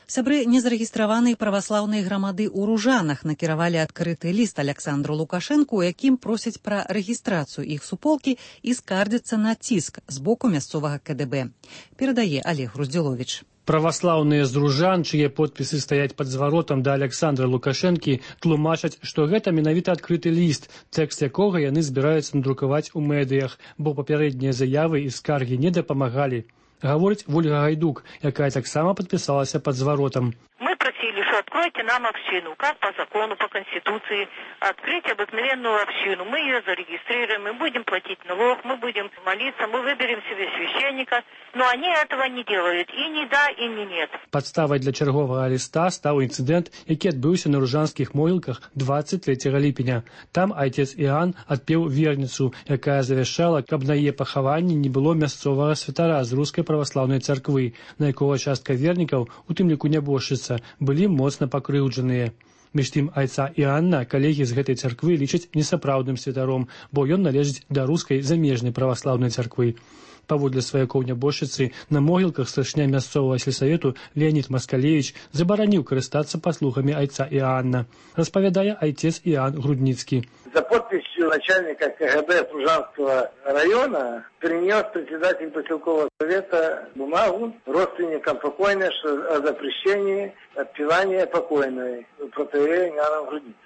S1: Сябры незарэгістраванай праваслаўнай грамады ў Ружанах накіравалі адкрыты ліст Александру Лукашэнку, у якім просяць пра рэгістрацыю іх суполкі і скардзяцца на ціск з боку мясцовага КДБ. Перадае Олег Груздзіловіч.
S28: Праваслаўныя з Ружан, чые подпісы стаяць пад зваротам да Александра Лукашэнкі, тлумачаць, што гэта менавіта адкрыты ліст, тэкст якога яны збіраюцца надрукаваць у медыях, бо папярэднія заявы і скаргі не дапамагалі. Гаворыць Вольга Гайдук, якая таксама падпісалася пад зваротам.
S8: Мы просили, что откройте нам общину, как по закону, по Конституции, открыть обыкновенную общину. Мы ее зарегистрируем, мы будем платить налог, мы будем молиться, мы выберем себе священника. Но они этого не делают. И не да, и не нет.
S28: Падставай для чарговага ліста стаў інцыдэнт, які адбыўся на ружанскіх могілках 23 ліпеня. Там айцец Іан адпеў верніцу, якая завяшчала, каб на яе пахаванні не было мясцовага святара з рускай праваслаўнай царквы, на якога частка вернікаў, у тым ліку нябожчыца, былі моцна пакрыўджаныя. Між тым айца Іанна калегі з гэтай царквы лічаць несапраўдным святаром, бо ён належыць да рускай замежнай праваслаўнай царквы. Паводле сваякоў нябожчыцы, на могілках старшыня мясцовага сельсавету Леонид Маскалевич забараніў карыстацца паслугамі айца Іанна, распавядае айцец Іан Грудніцкі.
S29: За подписью начальника КГБ Ружанского района принес председатель поселкового совета бумагу родственникам покойной о запрещении отпевания покойной протоиерея Иоанна Грудницы.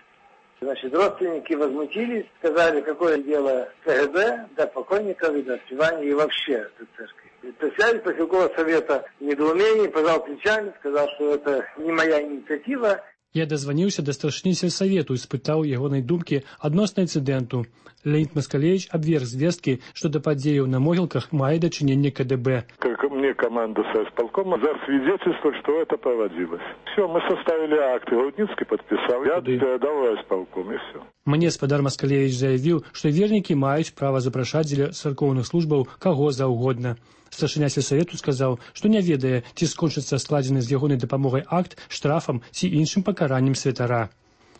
S29: Значит, родственники возмутились, сказали, какое дело КГБ до покойников и до отпевания и вообще до церкви. Председатель поселкового совета в недоумении пожал плечами, сказал, что это не моя инициатива.
S28: Я дазваніўся да старшыні сельсавету і спытаў ягонай думкі адносна інцыдэнту. Леонид Москалевич абверг звесткі, што да падзеяў на могілках мае дачыненне КДБ.
S10: Как мне команда соисполкома засвидетельствовала, что это проводилось. Все, мы составили акты, Рудницкий подписал, я передал исполком, и все.
S28: Мне спадар Москалевич заявіў, што вернікі маюць права запрашаць дзеля царкоўных службаў каго заўгодна. Старшыня сельсавету сказаў, што не ведае, ці скончыцца складзены з ягонай дапамогай акт штрафам ці іншым пакараннем святара.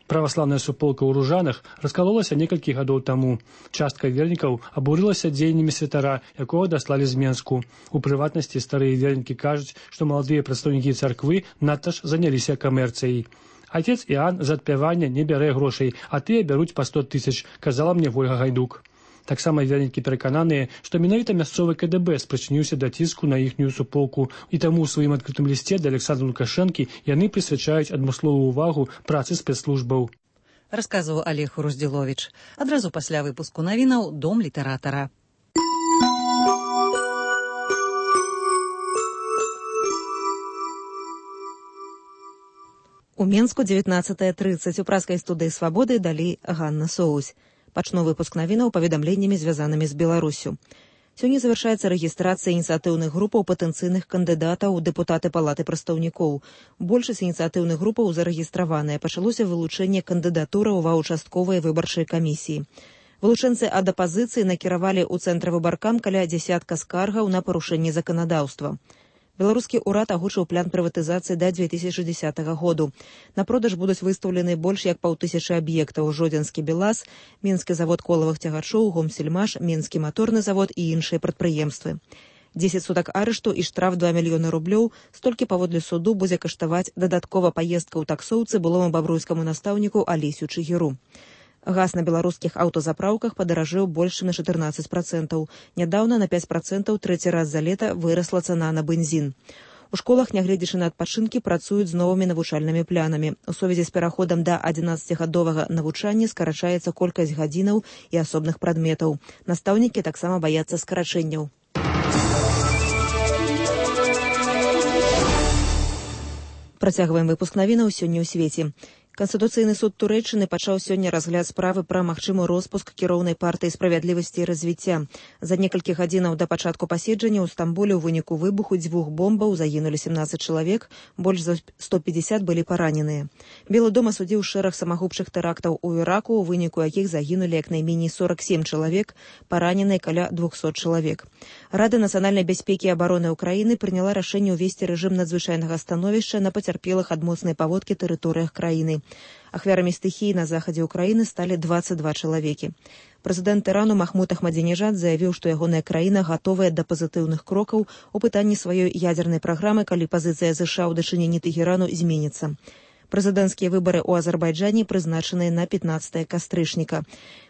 S28: Праваслаўная суполка ў Ружанах раскалолася некалькі гадоў таму. Частка вернікаў абурылася дзеяннямі святара, якога даслалі з Менску. У прыватнасці старыя вернікі кажуць, што маладыя прадстаўнікі царквы надта ж заняліся камерцыяй. Отец Іан за адпявання не бярэ грошай, а тыя бяруць па 100 000, казала мне Вольга Гайдук. Таксама вернікі перакананыя, што менавіта мясцовы КДБ спрычыніўся да ціску на іхнюю суполку, і таму ў сваім адкрытым лісце да Александра Лукашэнкі яны прысвячаюць адмысловую ўвагу працы спецслужбаў.
S1: Расказваў Олег Руздзіловіч. Адразу пасля выпуску навінаў «Дом літаратара». У Менску 19:30 у праскай студыі «Свабоды» далі Ганна Соусь. Пачну выпуск навінаў паведамленнямі, звязанымі з Беларуссю. Сёння завяршаецца рэгістрацыя ініцыятыўных групаў патэнцыйных кандыдатаў у дэпутаты Палаты прадстаўнікоў. Большасць ініцыятыўных групаў зарэгістраваная. Пачалося вылучэнне кандыдатураў ва ўчастковыя выбарчыя камісіі. Вылучэнцы ад апазіцыі накіравалі ў цэнтр выбаркам каля дзясятка скаргаў на парушэнне заканадаўства. Беларускі ўрад агучыў план прыватызацыі да 2060 году. На продаж будуць выстаўлены больш як 500 аб'ектаў: Жодзінскі БелАЗ, Мінскі завод колавых цягачоў, Гомсельмаш, Мінскі маторны завод і іншыя прадпрыемствы. 10 сутак арышту і штраф 2 мільёны рублёў. Столькі паводле суду будзе каштаваць дадаткова паездка ў таксоўцы былому бабруйскаму настаўніку Алесю Чыгіру. Газ на беларускіх аўтазапраўках падаражэў больш на 14%. Нядаўна на 5% трэці раз за лета вырасла цана на бензін. У школах, нягледзячы на адпачынкі, працуюць з новымі навучальнымі планамі. У сувязі з пераходам да 11-гадовага навучання скарачаецца колькасць гадзінаў і асобных прадметаў. Настаўнікі таксама баяцца скарачэнняў. Працягваем выпуск навінаў сёння ў свеце. Канстытуцыйны суд Турэччыны пачаў сёння разгляд справы пра магчымы роспуск кіроўнай партыі справядлівасці і развіцця. За некалькі гадзінаў да пачатку паседжання ў Стамбуле ў выніку выбуху 2 бомбаў загінулі 17 чалавек, больш за 150 былі параненыя. Белы дом асудзіў шэраг самагубчых тэрактаў у Іраку, у выніку якіх загінулі як найменей 47 чалавек, параненыя каля 200 чалавек. Рада нацыянальнай бяспекі і абароны Ўкраіны прыняла рашэнне ўвесці рэжым надзвычайнага становішча на пацярпелых ад моцнай паводкі тэрыторыях краіны. Ахвярамі стыхіі на захадзе Ўкраіны сталі 22 чалавекі. Прэзідэнт Ірану Махмуд Ахмадзінежад заявіў, што ягоная краіна гатовая да пазітыўных крокаў у пытанні сваёй ядзернай праграмы, калі пазіцыя ЗША ў дачыненні Тэхерану зменіцца. Прэзідэнцкія выбары ў Азербайджане прызначаныя на 15 кастрычніка,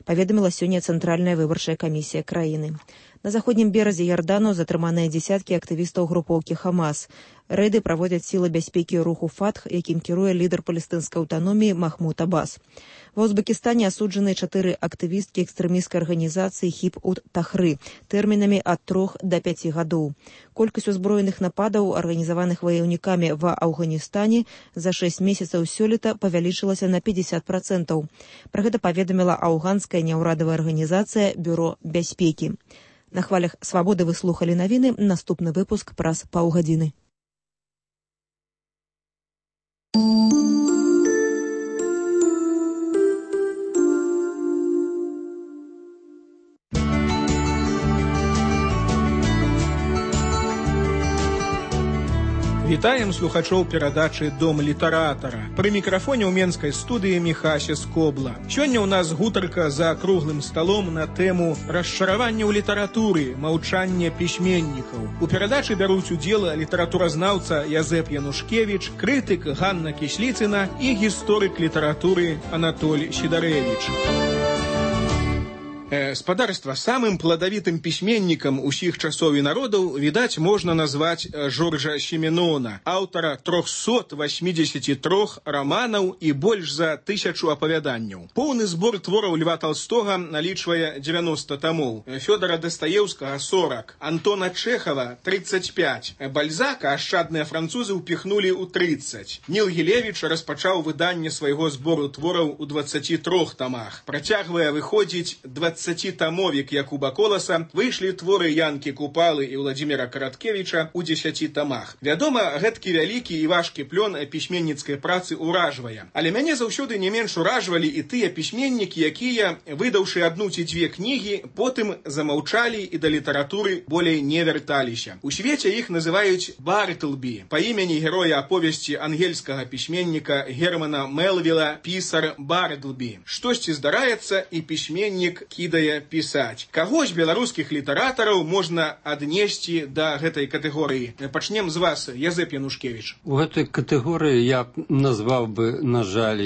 S1: паведаміла сёння Цэнтральная выбарчая камісія краіны. На заходнім беразе Ярдану затрыманыя дзесяткі актывістаў групоўкі Хамас. Рэйды праводзяць сілы бяспекі руху Фатх, якім кіруе лідар палестынскай аўтаноміі Махмуд Аббас. Ва Узбекістане асуджаны 4 актывісткі экстрэмісцкай арганізацыі Хиб-ут-Тахры тэрмінамі ад 3 да 5 гадоў. Колькасць узброеных нападаў, арганізаваных ваяўнікамі ва Афганістане, за 6 месяцаў сёлета павялічылася на 50%. Пра гэта паведаміла афганская няўрадавая арганізацыя Бюро бяспекі. На хвалях Свабоды вы слухалі навіны. Наступны выпуск праз паўгадзіны.
S2: Вітаем слухачоў перадачы «Дом літаратара». Пры мікрафоне ў менскай студыі Міхася Скобла. Сёння ў нас гутарка за круглым сталом на тэму расчаравання ў літаратуры, маўчання пісьменнікаў. У перадачы бяруць удзел літаратуразнаўца Язэп Янушкевіч, крытык Ганна Кісліцына і гісторык літаратуры Анатоль Сідарэвіч. Спадарства, самым плодовитым пісьменнікам усіх часоў і народаў, відаць, можна назваць Жоржа Сіменона, аўтара 383 раманаў і больш за 1000 апавяданняў. Поўны збор твораў Льва Толстога налічвае 90 томоў, Фёдора Дастаеўскага 40, Антона Чэхава 35, Бальзака ашчадныя французы ўпіхнулі ў 30. Ніл Гілевіч распачаў выданне свайго збору твораў у 23 томах. Працягвае выходзіць 20-томовік Якуба Коласа, выйшлі творы Янкі Купалы і Владзіміра Караткевіча ў 10 томах. Вядома, гэткі вялікі і важкі плён пісьменніцкай працы ўражвае. Але мяне заўсёды не менш уражвалі і тыя пісьменнікі, якія, выдаўшы адну ці дзве кнігі, потым замаўчалі і да літаратуры болей не вярталіся. У свеце іх называюць Бартлбі, па імені героя аповесці ангельскага пісьменніка Германа Мелвіла «Пісар Бартлбі». Штосьці здараецца, і пісьменнік кідае пісаць. Каго з беларускіх літаратараў можна аднесці да гэтай катэгорыі? Пачнем з вас, Язэп Янушкевіч.
S11: У гэтай катэгорыі я назваў бы, на жаль,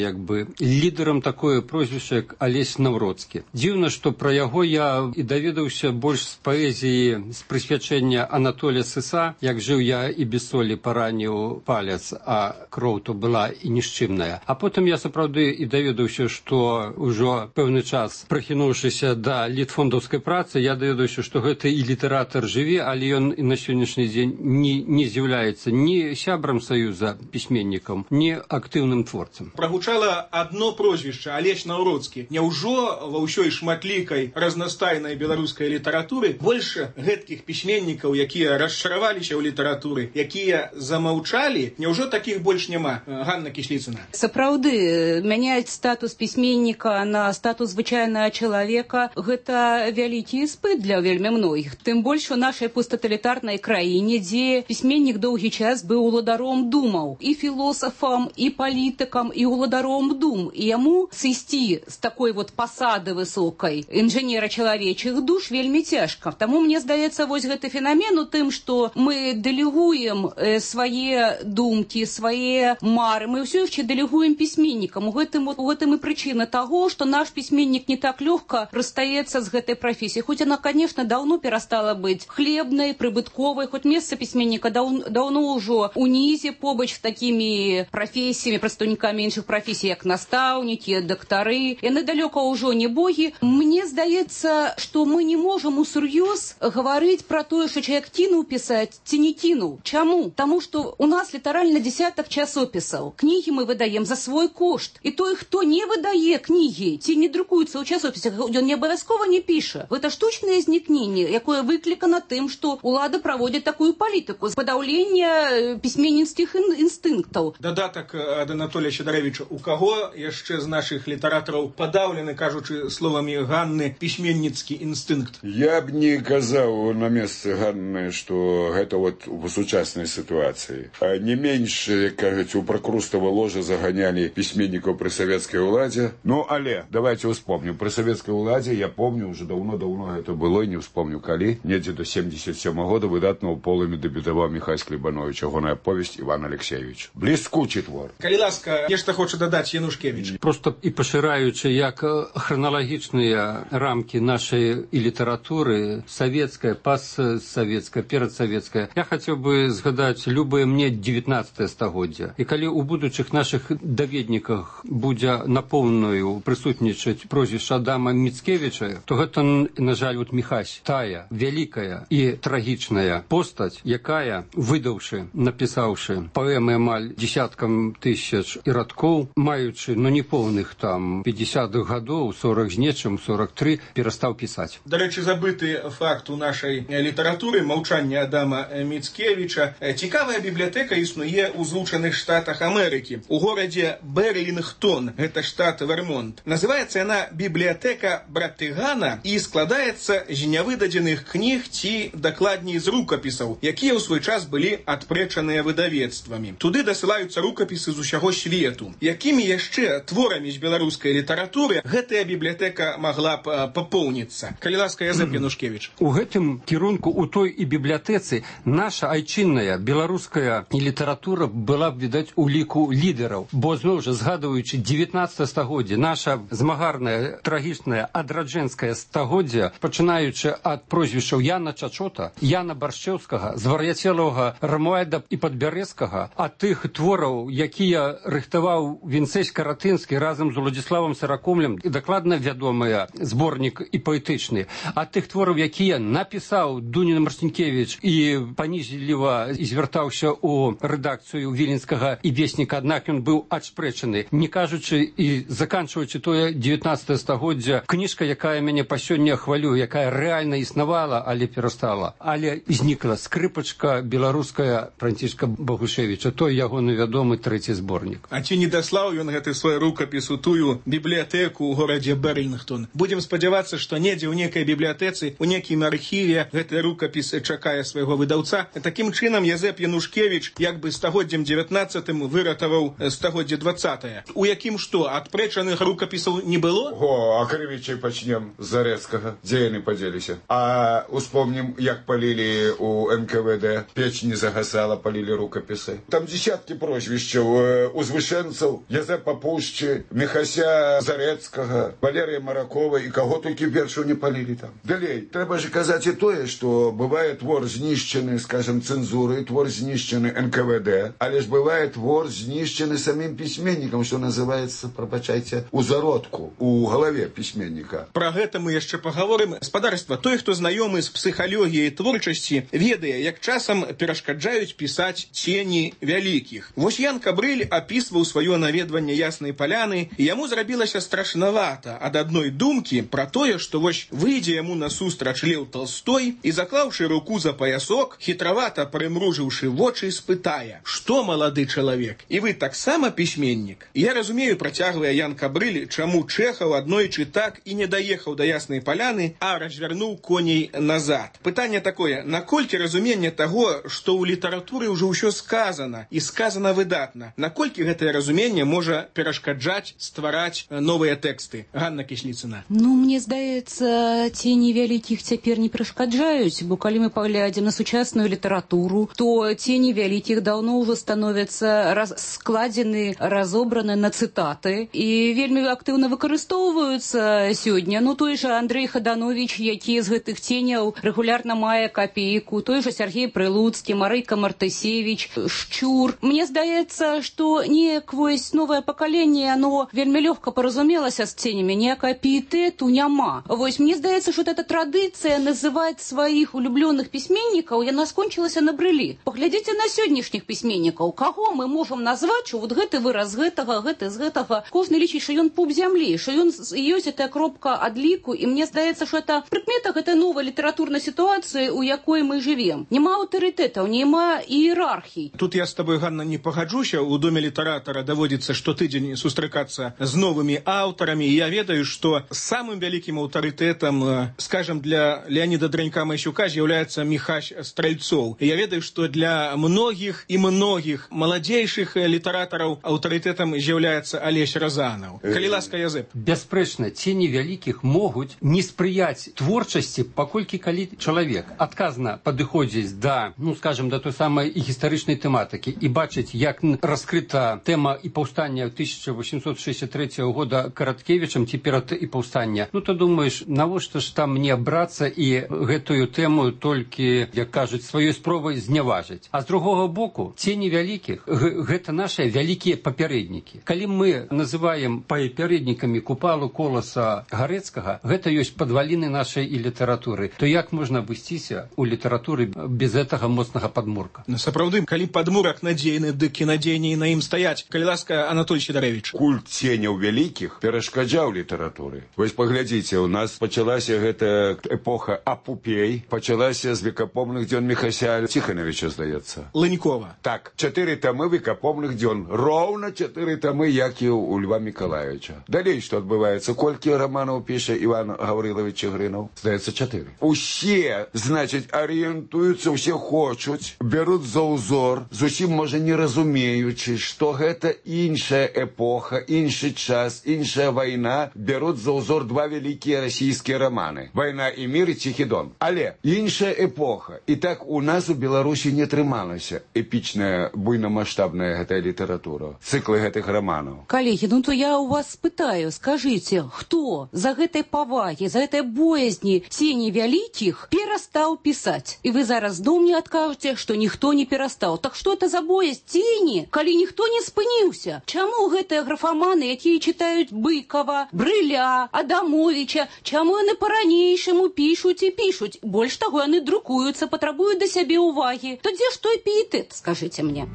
S11: лідарам такое прозвішча, як Алесь Навроцкі. Дзіўна, што пра яго я і даведаўся больш з паэзіі, з прысвячэння Анатолія Сыса, як жыў я і без солі параніў палец, а кроў то была і нішчымная. А потым я сапраўды і даведаўся, што ўжо пэўны час, прахінуўшыся да літфондаўскай працы, я даведаўся, што гэта і літаратар жыве, але ён і на сённяшні дзень не з'яўляецца ні сябрам саюза пісьменнікам, ні актыўным творцам.
S2: Прагучала адно прозвішча Алесь Навроцкі. Няўжо ва ўсёй шматлікай разнастайнай беларускай літаратуры больш гэткіх пісьменнікаў, якія расчараваліся ў літаратуры, якія замаўчалі, няўжо такіх больш няма? Ганна Кісліцына.
S12: Сапраўды, мяняць статус пісьменніка на статус звычайнага чалавека – гэта вялікі іспыт для вельмі многіх. Тым больш у нашай посттоталітарнай краіне, дзе пісьменнік доўгі час быў уладаром думаў, і філосафам, і палітыкам, і уладаром дум. І яму сысці з такой пасады высокай інжынера чалавечых душ вельмі цяжка. Таму мне здаецца, вось гэты фенамен у тым, што мы дэлегуем свае думкі, свае мары, мы ўсё яшчэ дэлегуем пісьменнікам. У гэтым і прычына таго, што наш пісьменнік не так лёгка расстаецца з гэтай прафесіяй. Хоць яна, конечно, даўно перастала быць хлебнай, прыбытковай, хоць месца пісьменніка даўно ўжо унізе побач з такімі прафесіямі, прадстаўнікамі іншых прафесій, як настаўнікі, дактары. Яны далёка ўжо не богі. Мне здаецца, што мы не можам усур'ёз гаварыць пра тое, што чалавек кінуў пісаць ці не кінуў. Чаму? Таму што у нас літаральна дзесятак часопісаў. Кнігі мы выдаем за свой кошт. І той, хто не выдае кнігі, ці не друкуецца ў часопісах, ён не абавязкова не піша. Гэта штучнае знікненне, якое выклікана тым, што ўлады праводзяць такую палітыку з падаўлення пісьменніцкіх інстынктаў.
S2: Дадатак ад Анатолія Сідарэвіча. У каго яшчэ з нашых літаратараў падаўлены, кажучы словамі Ганны, пісьменніцкі інстынкт?
S13: Я б не казаў на месцы Ганны, што гэта у сучаснай сітуацыі. Не менш, як кажуць, у пракрустава ложа заганялі пісьменнікаў пры савецкай уладзе. Але давайте успомним. Пры савецкай уладзе, я помню, уже даўно гэта было, не успомню калі, недзе до 77 года выдатна ў полымі дэбютаваў Міхась Клебанович, ягоная повесть Іван Алексеевич. Бліскучы твор.
S2: Калі ласка, нешта хоча дадаць Янушкевіч.
S11: Просто і пашыраючы, як храналагічныя рамкі нашай і літаратуры, савецкая, пастсавецкая, перадсавецкая, я хацеў бы згадаць любое мне 19 стагоддзя. І калі ў будучых нашых даведніках будзе напоўную прысутнічаць прозвішча Адама Міцкевіча, то гэта, на жаль, Міхась, тая вялікая і трагічная постаць, якая, выдаўшы, напісаўшы паэмы амаль десяткам тысяч і радкоў, маючы, непоўных 50-х гадоў, 40 з нечым, 43, перастаў пісаць.
S2: Дарэчы, забыты факт у нашай літаратуры маўчанне Адама Міцкевіча. Цікавая бібліятэка існуе ў Злучаных Штатах Амерыкі, у горадзе Берлінгтон, гэта штат Вермонт. Называецца яна бібліятэка Братыгана і складаецца з нявыдадзеных кніг ці, дакладней, з рукапісаў, якія ў свой час былі адпрэчаныя выдавецтвамі. Туды дасылаюцца рукапісы з усяго свету. Якімі яшчэ творамі з беларускай літаратуры гэтая бібліятэка магла б папоўніцца? Калі ласка, Язэп Янушкевіч.
S11: У гэтым кірунку, у той і бібліятэцы, наша айчынная беларуская літаратура была б, відаць, у ліку лідараў. Бо, зноў жа, згадваючы 19 стагоддзе, наша змагарная, трагічная ад адраджэнскае стагоддзя, пачынаючы ад прозвішчаў Яна Чачота, Яна Баршчэўскага, звар'яцелага Рамуальда і Падбярэзскага, ад тых твораў, якія рыхтаваў Вінцэсь Каратынскі разам з Уладзіславам Саракомлем, і дакладна вядомыя зборнік і паэтычны, ад тых твораў, якія напісаў Дуніна Марцінкевіч і паніжліва звяртаўся ў рэдакцыю Віленскага і Весніка, аднак ён быў адспрэчаны. Не кажучы і заканчваючы тое 19 стагоддзя, кніжка, якая мяне па сёння хвалюе, якая рэальна існавала, але перастала. Але знікла скрыпачка беларуская Францішка Багушевіча, той ягоны вядомы трэці зборнік.
S2: А ці не даслаў ён гэты свой рукапіс у тую бібліятэку ў горадзе Берлінгтон? Будзем спадзявацца, што недзе ў некай бібліятэцы, у некім архіве гэты рукапіс чакае свайго выдаўца. Такім чынам Язэп Янушкевіч як бы стагоддзем 19-м выратаваў стагоддзе 20-е. У якім што, адпрэчаных рукапісаў не было?
S13: А крывічай пачнем з Зарэцкага. Дзе яны падзеліся? А успомнім, як палілі у НКВД. Печ не загасала, палілі рукапісы. Там дзесяткі прозвішчаў узвышэнцаў, Язэпа Пушчы, Міхася Зарэцкага, Валерыя Маракова і каго толькі першую не палілі там. Далей, трэба ж казаць і тое, што бывае твор знішчаны, скажем, цэнзуры, твор знішчаны НКВД, але ж бывае твор знішчаны самім пісьменнікам, што называецца, прабачайце, у зародку, у галаве пісьменніка.
S2: Пра гэта мы яшчэ пагаворым. Спадарства, той, хто знаёмы з псіхалогіяй творчасці, ведае, як часам перашкаджаюць пісаць цені вялікіх. Вось Ян Кабрыль апісваў сваё наведванне Яснай Паляны, і яму зрабілася страшнавата ад адной думкі пра тое, што вось выйдзе яму насустрач Леў Толстой і, заклаўшы руку за паясок, хітравата прымружыўшы вочы, спытае: «Што, малады чалавек, і вы таксама пісьменнік?» Я разумею, працягвае Ян Кабрыль, чаму Чэхаў аднойчы так і не даехаў да Яснай Паляны, а развярнуў коней назад. Пытанне такое: наколькі разуменне таго, што ў літаратуры ўжо ўсё сказана, і сказана выдатна, наколькі гэтае разуменне можа перашкаджаць ствараць новыя тэксты? Ганна Кісліцына.
S12: Мне здаецца, цені вялікіх цяпер не перашкаджаюць, бо калі мы паглядзім на сучасную літаратуру, то цені вялікіх даўно ўжо становяцца складзены, разобраны на цытаты і вельмі актыўна выкарыстоўваюцца сёння. Той жа Андрэй Хадановіч, які з гэтых ценяў рэгулярна мае капейку, той жа Сергей Прылуцкі, Марыка Мартысевіч, Шчур. Мне здаецца, што неяк вось новае пакаленне, оно вельмі лёгка паразумелася з ценямі, ніякага піетэту няма. Вось мне здаецца, што эта традыцыя называць сваіх улюблёных пісьменнікаў, яна скончылася на брылі. Паглядзіце на сённяшніх пісьменнікаў. Каго мы можам назваць, што вот гэты выраз гэтага, гэты з гэтага? Кожны лічыць, што ён пуп зямлі, што ён ёсць гэтая кропка адліку, і мне здаецца, што это прыкмета гэтай новай літаратурнай сітуацыі, у якой мы жывем. Няма аўтарытэтаў, няма іерархій.
S2: Тут я з табой, Ганна, не пагаджуся. У доме літаратара даводзіцца штотыдзень сустракацца з новымі аўтарамі. Я ведаю, што самым вялікім аўтарытэтам, скажем, для Леаніда Дранька-Масюка з'яўляецца Міхась Стральцоў. Я ведаю, што для многіх і многіх маладзейшых літаратараў аўтарытэтам з'яўляецца Алесь Разанаў. Калі ласка, Язэп.
S11: Бясспрэчна, цені вялікіх могуць не спрыяць творчасці, паколькі калі чалавек адказна падыходзіць да, скажем, да той самай гістарычнай тэматыкі і бачыць, як раскрыта тэма і паўстання 1863 года Караткевічам, ці перад і паўстання, то думаеш, навошта ж там мне брацца і гэтую тэму толькі, як кажуць, сваёй спробай зняважыць. А з другога боку, цені вялікіх гэта нашыя вялікія папярэднікі. Калі мы называем папярэднікамі Купалу, Коласа, Гарэцкага, гэта ёсць падваліны нашай і літаратуры, то як можна абысціся ў літаратуры без гэтага моцнага падмурка?
S2: Сапраўды, калі падмурак надзейны, дык і надзейней на ім стаяць. Калі ласка, Анатоль Сідарэвіч.
S13: Культ ценяў вялікіх перашкаджаў літаратуры. Вось паглядзіце, у нас пачалася гэта эпоха апупей, пачалася з векапомных дзён Міхася Ціханавіча, здаецца.
S2: Лынькова.
S13: Так, 4 тамы векапомных дзён. Роўна 4 тамы, як і у Льва Мікалаевича. Далей, што адбываецца? Колькі раманаў піша Іван Гаврилович Чигринов? Здаецца, 4. Усе, значыць, арыентуюцца, усе хочуць, бяруць за ўзор, зусім, можа, не разумеючы, што гэта іншая эпоха, іншы час, іншая вайна, бяруць за ўзор 2 вялікія расійскія раманы. «Вайна і мір» і «Ціхі дон». Але іншая эпоха. І так у нас у Беларусі не трымалася эпічная, буйнамаштабная гэтая літаратура, цыклы гэтых раманаў.
S12: Калегі, то я у вас спытаю, скажыце, хто з за гэтай павагі, за гэтай боязні цені вялікіх перастаў пісаць. І вы зараз зноў мне адкажаце, што ніхто не перастаў. Так што это за боязь цені, калі ніхто не спыніўся? Чаму гэтыя графаманы, якія чытаюць Быкова, Брыля, Адамовича, чаму яны па-ранейшаму пішуць і пішуць? Больш таго, яны друкуюцца, патрабуюць да сябе ўвагі. То дзе ж той піетэт, скажыце мне?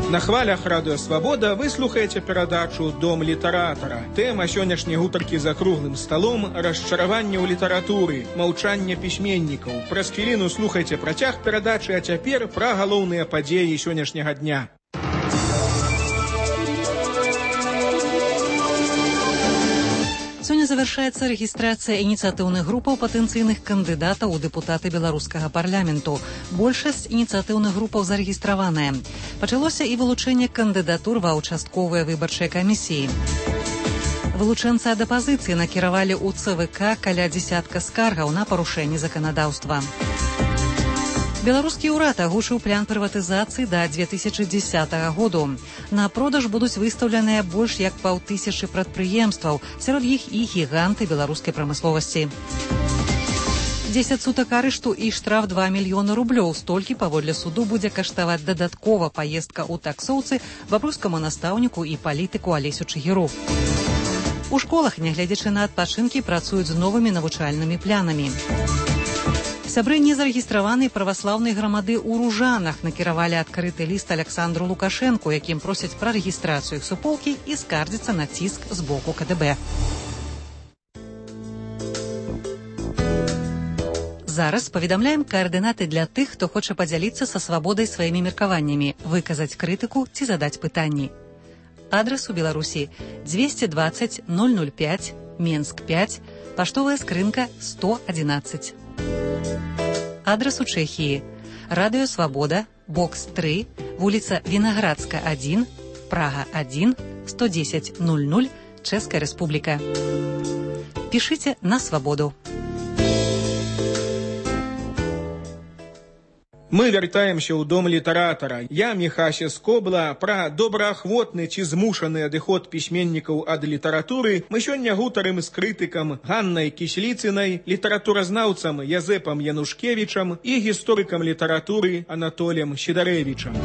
S2: На хвалях радыё «Свабода» вы слухаеце перадачу «Дом літаратара». Тэма сённяшняй гутаркі за круглым сталом – расчараванне ў літаратуры, маўчанне пісьменнікаў. Праз хвіліну слухайце працяг перадачы, а цяпер пра галоўныя падзеі сённяшняга дня.
S1: Сёння завяршаецца рэгістрацыя ініцыятыўных групаў патэнцыйных кандыдатаў у дэпутаты беларускага парламенту. Большасць ініцыятыўных групаў зарэгістраваная. Пачалося і вылучэнне кандыдатур ва ўчастковыя выбарчыя камісіі. Вылучэнцы ад апазіцыі накіравалі ў ЦВК каля дзесятка скаргаў на парушэнне заканадаўства. Беларускі ўрад агучыў план прыватызацыі да 2010 году. На продаж будуць выстаўленыя больш як 5000 прадпрыемстваў, сярод іх і гіганты беларускай прамысловасці. 10 сутак арышту і штраф 2 мільёны рублёў. Столькі, паводле суду, будзе каштаваць дадаткова паездка ў таксоўцы бабруйскаму настаўніку і палітыку Алесю Чыгіру. У школах, нягледзячы на адпачынкі, працуюць з новымі навучальнымі планамі. Сябры незарэгістраванай праваслаўнай грамады ў Ружанах накіравалі адкрыты ліст Александру Лукашэнку, якім просяць пра рэгістрацыю іх суполкі і скардзяцца на ціск з боку КДБ. Зараз паведамляем каардынаты для тых, хто хоча падзяліцца са свабодай сваімі меркаваннямі, выказаць крытыку ці задаць пытанні. Адрас у Беларусі 220 005, Менск 5, паштовая скрынка 111. Адрас у Чэхіі. Радыё «Свабода», бокс 3, вуліца Вінаградска 1, Прага 1, 110 00, Чэшская Рэспубліка. Пішыце на «Свабоду».
S2: Мы вяртаемся ў дом літаратара. Я, Міхася Скобла, пра добраахвотны ці змушаны адыход пісьменнікаў ад літаратуры мы сёння гутарым з крытыкам Ганнай Кісліцынай, літаратуразнаўцам Язэпам Янушкевічам і гісторыкам літаратуры Анатоліем Сідарэвічам.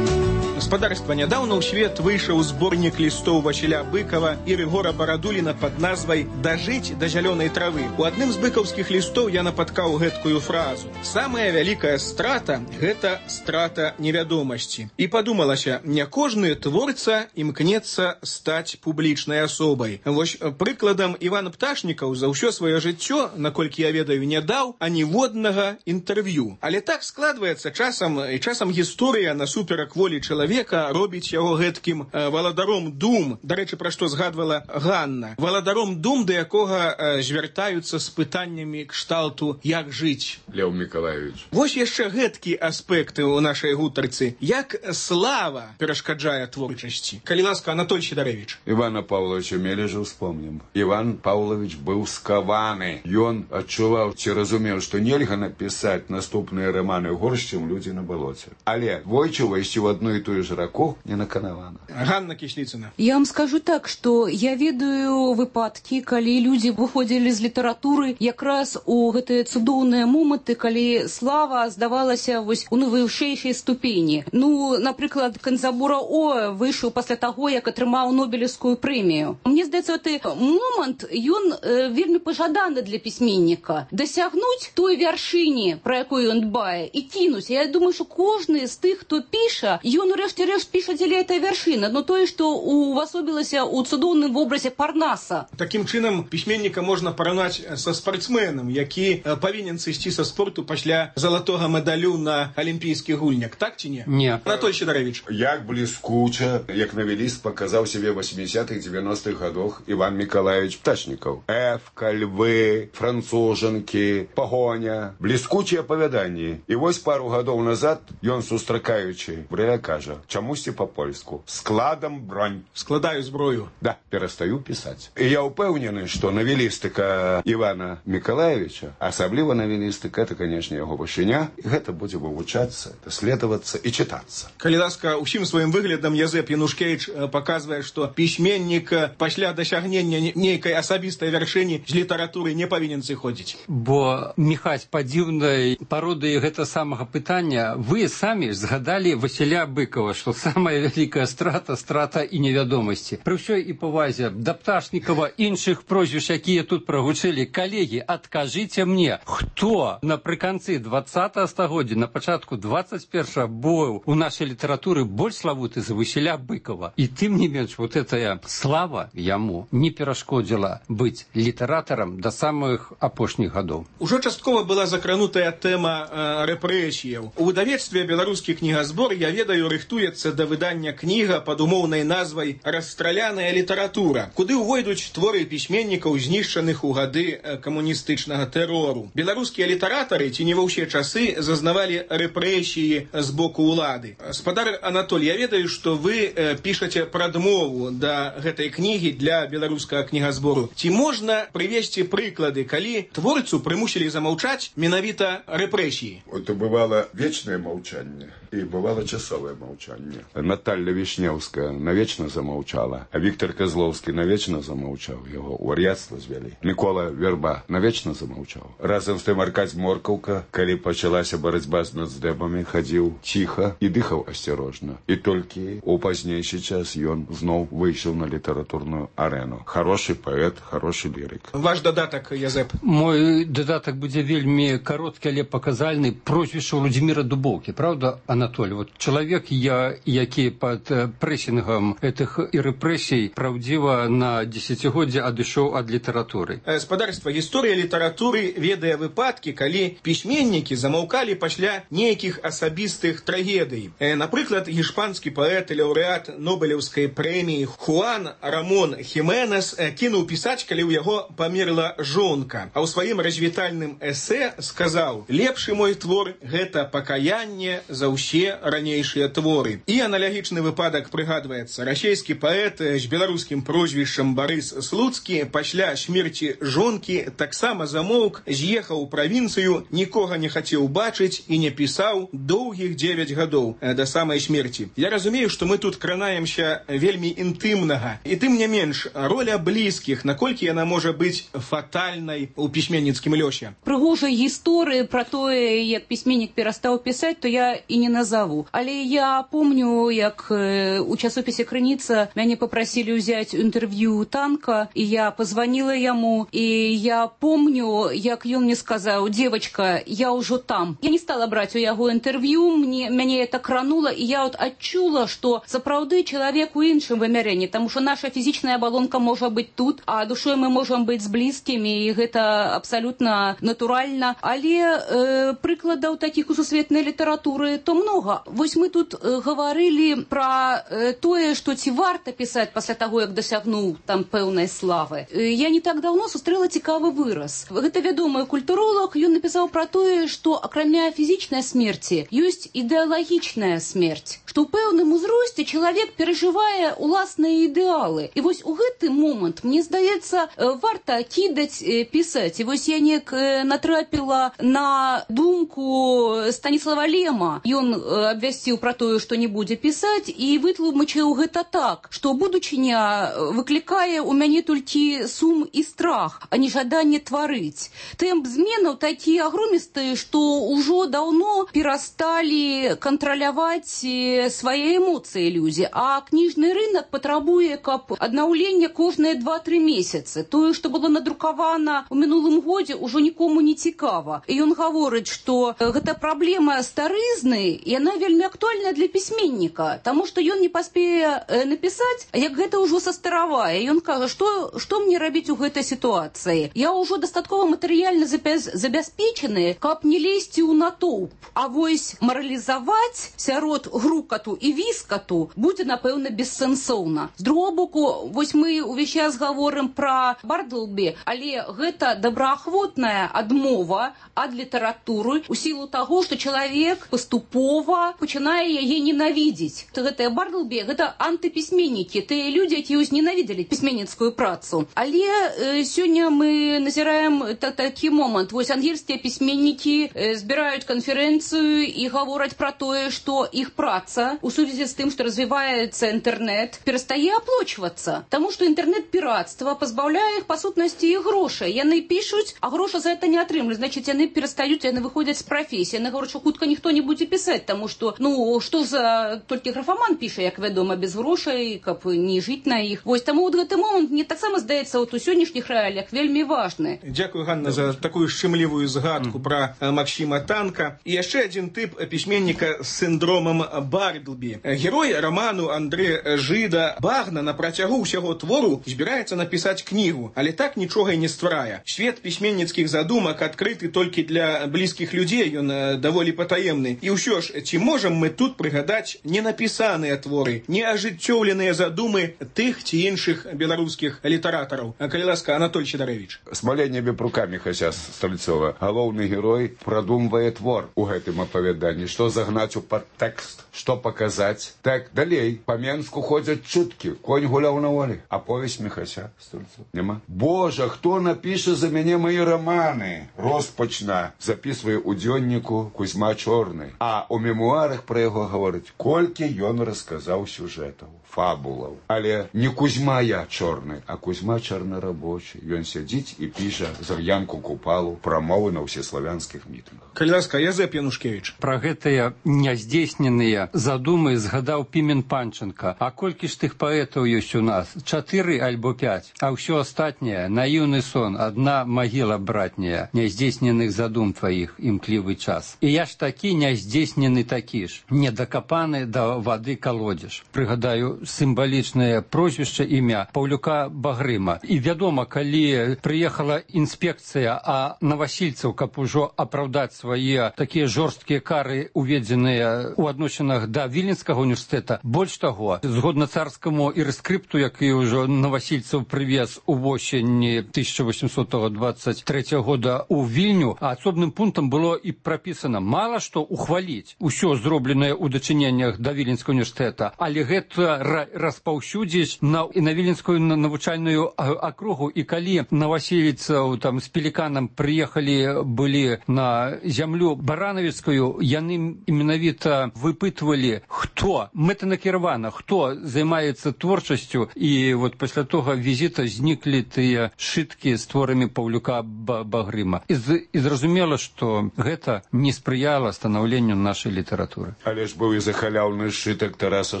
S2: Гаспадарства, нядаўна ў свет выйшаў зборнік лістоў Васіля Быкова і Рыгора Барадуліна пад назвай «Дажыць да зялёнай травы». У адным з быкаўскіх лістоў я напаткаў гэткую фразу. Самая вялікая страта – гэта страта невядомасці. І падумалася, не кожны творца імкнецца стаць публічнай асобай. Вось прыкладам Іван Пташнікаў за ўсё сваё жыццё, наколькі я ведаю, не даў аніводнага інтэрв'ю. Але так складваецца часам гісторыя насуперак волі чалавека робіць яго гэткім валадаром дум, дарэчы, пра што згадвала Ганна, валадаром дум, да якога звяртаюцца з пытаннямі кшталту «Як жыць?»
S13: Леў Мікалаевич.
S2: Вось яшчэ гэткі аспекты ў нашай гутарцы. Як слава перашкаджае творчасці? Калі ласка, Анатоль Сідарэвіч.
S13: Івана Павловича Мележа ўспомнім. Іван Павлович быў скаваны. Ён адчуваў ці разумеў, што нельга напісаць наступныя раманы горш, чым людзі на балоце. Але двойчы увайсці ў адну і тую ж раку не наканавана.
S2: Ганна Кісліцына.
S12: Я вам скажу так, што я ведаю выпадкі, калі людзі выходзілі з літаратуры якраз у гэтыя цудоўныя моманты, калі слава здавалася вось у найвышэйшай ступені. Ну, напрыклад, Канзабура О выйшаў пасля таго, як атрымаў Нобелевскую прэмію. Мне здаецца, гэты момант, ён вельмі пажаданы для пісьменніка. Дасягнуць той вяршыні, пра якую ён дбае, і кінуць. Я думаю, што кожны з тых, хто піша, ён урэшце-рэшт піша дзеля этой вяршыны, но тое, што увасобілася ў цудоўным вобразе Парнаса.
S2: Такім чынам пісьменніка можна параўнаць са спартсменам, які павінен сысці са спорту пасля залатога медалю на алімпійскіх гульнях, так ці не?
S11: Не.
S2: Анатоль Сідарэвіч.
S13: Як бліскуча, як навеліст паказаў сябе 80-х, 90-х гадах Іван Мікалаевич Пташнікаў. Эвка, львы, францужанкі, пагоня. Бліскучыя апавяданні. І вось пару гадоў назад ён, сустракаючы, Брэля кажа: чамусьці па-польску. Складам бронь.
S2: Складаю зброю.
S13: Да, перастаю пісаць. І я ўпэўнены, што навелістыка Івана Мікалаевича, асабліва навелістыка, это, конечно, яго вышыня, і гэта будзе вывучацца, даследавацца і чытацца.
S2: Калі ласка, усім сваім выглядам Язэп Янушкевіч паказвае, што пісьменнік пасля дасягнення нейкай асабістай вяршыні з літаратуры не павінен сыходзіць.
S11: Бо, Міхась, па дзіўнай пародыі гэта самага пытання, вы самі згадалі Васіля Быкова, што самая вялікая страта і невядомасці. Пры ўсёй і павазе да Пташнікова, іншых прозвіш, якія тут прагучылі, калегі, адкажыце мне, хто напрыканцы 20-го стагоддзя, на пачатку 21-го быў у нашай літаратуры больш славуты за Васіля Быкова. І тым не менш, вот этая слава яму не перашкодзіла быць літаратарам да самых апошніх гадоў.
S2: Ужо часткова была закранутая тэма рэпрэсіяў. У выдавецтве «Беларускі кнігазбор», я ведаю, рыхтуецца да выдання кніга пад умоўнай назвай «Расстраляная літаратура», куды ўвойдуць творы пісьменнікаў, знішчаных у гады камуністычнага тэрору. Беларускія літаратары ці не ва ўсе часы зазнавалі рэпрэсіі з боку ўлады. Спадар Анатоль, я ведаю, што вы пішаце прадмову да гэтай кнігі для беларускага кнігазбору. Ці можна прывесці прыклады, калі творцу прымусілі замаўчаць менавіта рэпрэсіі?
S13: Это бывало вечное молчание и бывало часовое молчание. Наталья Вишневская навечно замолчала, а Виктор Козловский навечно замолчал, его у вар'яцтва звялі. Микола Верба навечно замолчал. Разом з тым Аркадь Моркаўка, калі пачалася барацьба з нацдэбамі, хадзіў ціха і дыхаў асцярожна. І толькі у пазнейшы час ён зноў выйшаў на літаратурную арену. Хороший паэт, хороший лірык.
S2: Ваш дадатак, Язэп?
S11: Мой дадатак будзе вельмі кароткі, але паказальны. Прозвішча Владзіміра Дубоўкі. Правда, Анатоль? Вот чалавек, які пад прэсінгам гэтых і рэпрэсій праўдзіва на дзесяцігоддзе адышоў ад літаратуры.
S2: Спадарства, гісторыя літаратуры ведае выпадкі, калі пісьменнікі замаўкалі пасля нейкіх асабістых трагедый. Напрыклад, іспанскі паэт і лаўрэат Нобелеўскай прэміі Хуан Рамон Хіменес кінуў пісаць, калі ў яго памерла жонка. А ў сваім развітальным эсэ сказаў: «Лепшы мой твор – гэта пакаянне за ўсе ранейшыя творы». І аналагічны выпадак прыгадваецца. Расійскі паэт з беларускім прозвішчам Барыс Слуцкі пасля смерці жонкі таксама замоўк, з'ехаў у правінцыю, нікога не хацеў бачыць і не пісаў доўгіх 9 гадоў да самай смерці. Я разумею, што мы тут кранаемся вельмі інтымнага. І тым не менш, роля блізкіх, наколькі яна можа быць фатальнай у пісьменніцкім лёсе?
S12: Прыгожай гісторыі пра тое, як пісьменнік перастаў пісаць, то я і не назову. Але я помню, як у часопісе «Крыніца» мяне попросили взять интервью Танка, и я позвонила ему, и я помню, як ён мне сказал: «Девочка, я уже там». Я не стала брать у яго интервью, мяне это крануло, и я вот адчула, что сапраўды чалавек у іншым вымярэнні, потому что наша фізічная абалонка можа быць тут, а душой мы можем быць з блізкімі, і гэта абсолютно натуральна. Але прыкладаў таких у сусветнай літаратуры то много. Вось мы тут говорили про тое, что ці варта писать пасля таго, як дасягнуў там пэўнай славы. Я не так давно сустрэла цікавы выраз. Гэта вядомы культуролог, ён напісаў про тое, што акрамя фізічнай смерці ёсць ідэалагічная смерць, што ў пэўным узросце чалавек перажывае уласныя ідэалы. І вось у гэты момант, мне здаецца, варта кідаць пісаць. І вось я неяк натрапіла на думку Станіслава Лема. Ён абвясціў пра тое, што не будзе пісаць, і вытлумачыў гэта так, што будучыня выклікае ў мяне толькі сум і страх, а не жаданне тварыць. Тэмп зменаў такі агромістыя, што ўжо даўно перасталі кантраляваць свае эмоцыі людзі, а кніжны рынок патрабуе, каб аднаўленне кожныя 2-3 месяцы. Тое, што было надрукавана ў мінулым годзе, ўжо нікому не цікава. І ён гаворыць, што гэта праблема старызны, і яна вельмі актуальная для пісьменніка, таму што ён не паспее напісаць, як гэта ўжо састаравае. Ён кажа, што мне рабіць у гэтай сітуацыі? Я ўжо дастаткова матэрыяльна забяспечаны, каб не лезці ў натоўп. А вось маралізаваць сярод груп, рускату і віскату будзе, напэўна, бессэнсоўна. З другого боку, вось мы увесь час гаворым пра Бардлбі, але гэта добраахвотная адмова ад літаратуры у сілу таго, што чалавек паступова пачынае яе ненавідзець. Гэтыя Бардлбі, гэта антыпісьменнікі, тыя людзі, якія узненавідзелі пісьменніцкую працу. Але сёння мы назіраем такі момант. Вось ангельскія пісьменнікі збіраюць канферэнцыю і гавораць пра тое, што іх праца у сувязі з тым, што развіваецца інтэрнэт, перастае аплочвацца. Таму што інтэрнэт-піратства пазбаўляе іх па сутнасці і грошай. Яны пішуць, а грошы за гэта не атрымліваюць. Значыць, яны перастаюць, яны выходзяць з прафесіі. Яны гавораць, што хутка ніхто не будзе пісаць, таму што, што за толькі графаман піша, як вядома, без грошай, каб не жыць на іх. Вось таму вот гэты момант, мне таксама здаецца, у сённяшніх рэаліях вельмі важны.
S2: Дзякую, Ганна, за такую шчымлівую згадку пра Максіма Танка. І яшчэ адзін тып пісьменніка з синдромом Бардлбі. Герой роману Андре Жыда Багна на працягу ўсяго твору збіраецца напісаць кнігу, але так нічога і не стварае. Свет пісьменніцкіх задумак адкрыты толькі для блізкіх людзей, ён даволі патаемны. І ўсё ж, ці можам мы тут прыгадаць ненапісаныя творы, неажыццёўленыя задумы тых ці іншых беларускіх літаратараў? Калі ласка, Анатоль Сідарэвіч.
S13: Смаленнямі рукамі хаця Стральцова. Галоўны герой прадумвае твор у гэтым апавяданні. Што загнаць у падтэкст, што паказаць. Так, далей, па Менску ходзяць чуткі. Конь гуляў на волі. Аповесць Міхася Стральцова. Нема. Божа, хто напіша за мяне мае раманы? Роспачна. Запісвае ў дзённіку Кузьма Чорны. А ў мемуарах пра яго гаворыць, колькі ён расказаў сюжэтаў, фабулаў. Але не Кузьма я чорны, а Кузьма чорнарабочы. Ён сядзіць і піша Зар'янку Купалу прамовы на ўсеславянскіх мітынгах.
S2: Калі ласка, Язэп Янушкевіч.
S11: Пра гэтыя няздзейсненыя задумы згадаў Пімен Панченка. А колькі ж тых паэтаў ёсць у нас? 4 альбо 5. А ўсё астатняе, наіўны сон, адна магіла братняя, няздзейсненых задум тваіх, імклівы час. І я ж такі няздзейснены такі ж, недакапаны да вады калодзеж. Прыгадаю сімвалічнае прозвішча, імя Паўлюка Багрыма. І вядома, калі прыехала інспекцыя, а навасільцаў, каб ужо апраўдаць свае такія жорсткія кары, уведзеныя ў адносінах да Віленскага універсітэта, больш таго, згодна царскаму ірыскрыпту, які ўжо навасільцаў прывез у восені 1823 года ў Вільню, асобным пунктам было і прапісана мала што ухваліць усё зробленае ў дачыненнях да Віленскага універсітэта, але гэта распаўсюдзіць на Віленскую навучальную акругу. І калі навасіліцаў там з Пеліканам прыехалі былі на зямлю баранавіцкую, яны менавіта выпытвалі, хто мэтанакіравана, хто займаецца творчасцю. І вот пасля того візіта зніклі тыя шыткі з творамі Паўлюка Багрыма. І зразумела, што гэта не спрыяла станаўленню нашай літаратуры.
S13: Але ж быў і захаляўны сшытак Тараса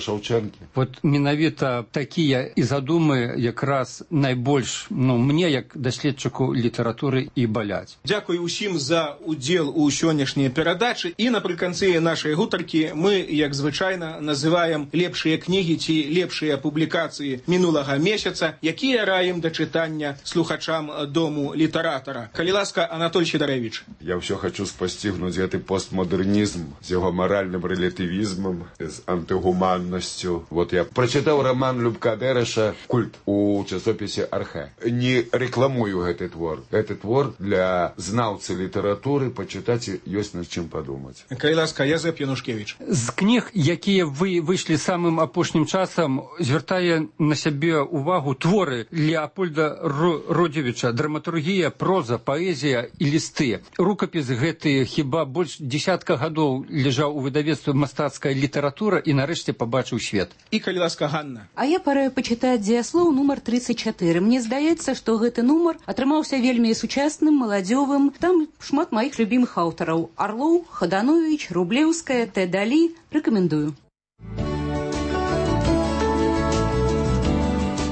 S13: Шаўчэнкі.
S11: Вот менавіта такія і задумы якраз найбольш, мне як даследчыку літаратуры і баляць.
S2: Дзякуй усім за удзел у сённяшняй перадачы. І напрыканцы нашай гутаркі мы, як звычайна, называем лепшыя кнігі ці лепшыя публікацыі мінулага месяца, якія раім да чытання слухачам Дому літаратара. Калі ласка, Анатоль Сідарэвіч.
S13: Я ўсё хачу спасцігнуць гэты постмодернізм з яго маральным рэлятывізмам, з антыгуманнасцю. Вот я прачытаў роман Любка Дэрэша «Культ» у часопісе «Архэ». Не рэкламую гэты твор. Гэты твор для знаўцы літаратуры пачытаць ёсць над чым падумаць.
S2: Калі ласка, Язэп Янушкевіч.
S11: З кніг, якія выйшлі самым апошнім часам, звяртае на сябе увагу творы Леапольда Родзевіча, драматургія, проза, паэзія і лісты. Рукапіс гэты хіба больш десятка гадоў ляжаў у выдавецтве «Мастацкая літаратура» і нарэшце пабачыў свет.
S2: І калі ласка, Ганна.
S12: А я параю пачытаць дзеяслоў нумар 34. Мне здаецца, што гэты нумар атрымаўся вельмі сучасным, маладзёвым. Там шмат маіх любімых аўтараў. Арлоў, Хаданович, Рублеўская, Т. Далі. Рэкамендую.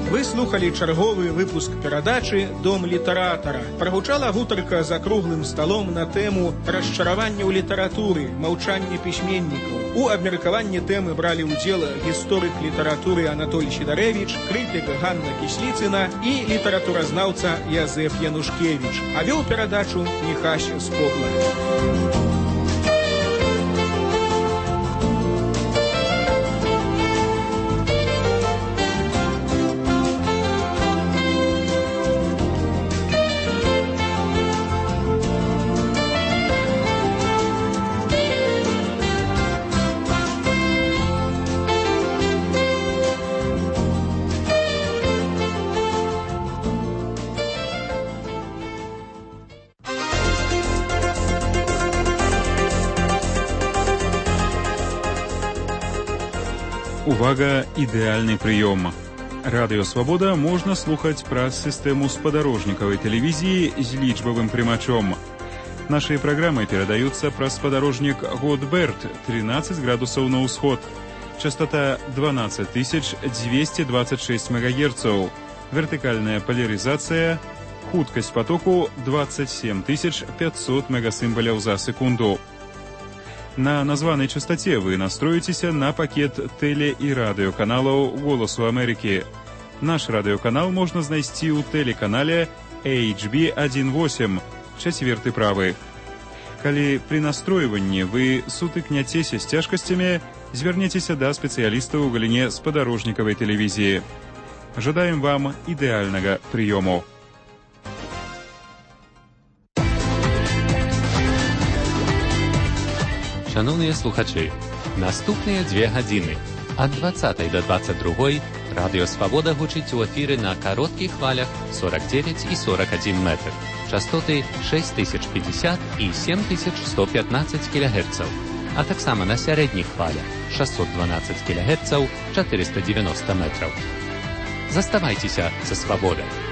S2: Вы слухали чарговы выпуск перадачы «Дом літаратара». Прагучала гутарка за круглым сталом на тэму расчаравання ў літаратуры, маўчанне пісьменнікаў. У абмеркаванні тэмы бралі ўдзел гісторык літаратуры Анатоль Сідарэвіч, крытык Ганна Кісліцына і літаратуразнаўца Язэп Янушкевіч. А вёў перадачу Міхась Скобла.
S14: Увага, ідэальны прыём. Радыё «Свабода» можна слухаць праз сістэму спадарожнікавай тэлевізіі з лічбавым прымачом. Нашыя праграмы перадаюцца праз спадарожнік Годберт, 13 градусаў на ўсход. Частота 12226 МГц. Вертыкальная поляризация, хуткасць потоку 27500 мегасімбаляў за секунду. На названай частоце вы настроіцеся на пакет тэле- і радыёканалаў «Голасу Амерыкі». Наш радыёканал можна знайсці ў тэлеканале HB18, 4 правы. Калі пры настройванні вы сутыкняцеся з цяжкасцямі, звярніцеся да спецыялістаў у галіне спадарожнікавай тэлевізіі. Жадаем вам ідэальнага прыёму.
S15: Шановні слухачі, наступныя 2 гадзіны ад 20 до 22 Радыё Свабода гучыць у эфіры на кароткіх хвалях 49 і 41 метр. Частоты 6050 і 7115 кГц, а таксама на сярэдніх хвалях 612 кГц, 490 метраў. Заставайцеся са свабодай.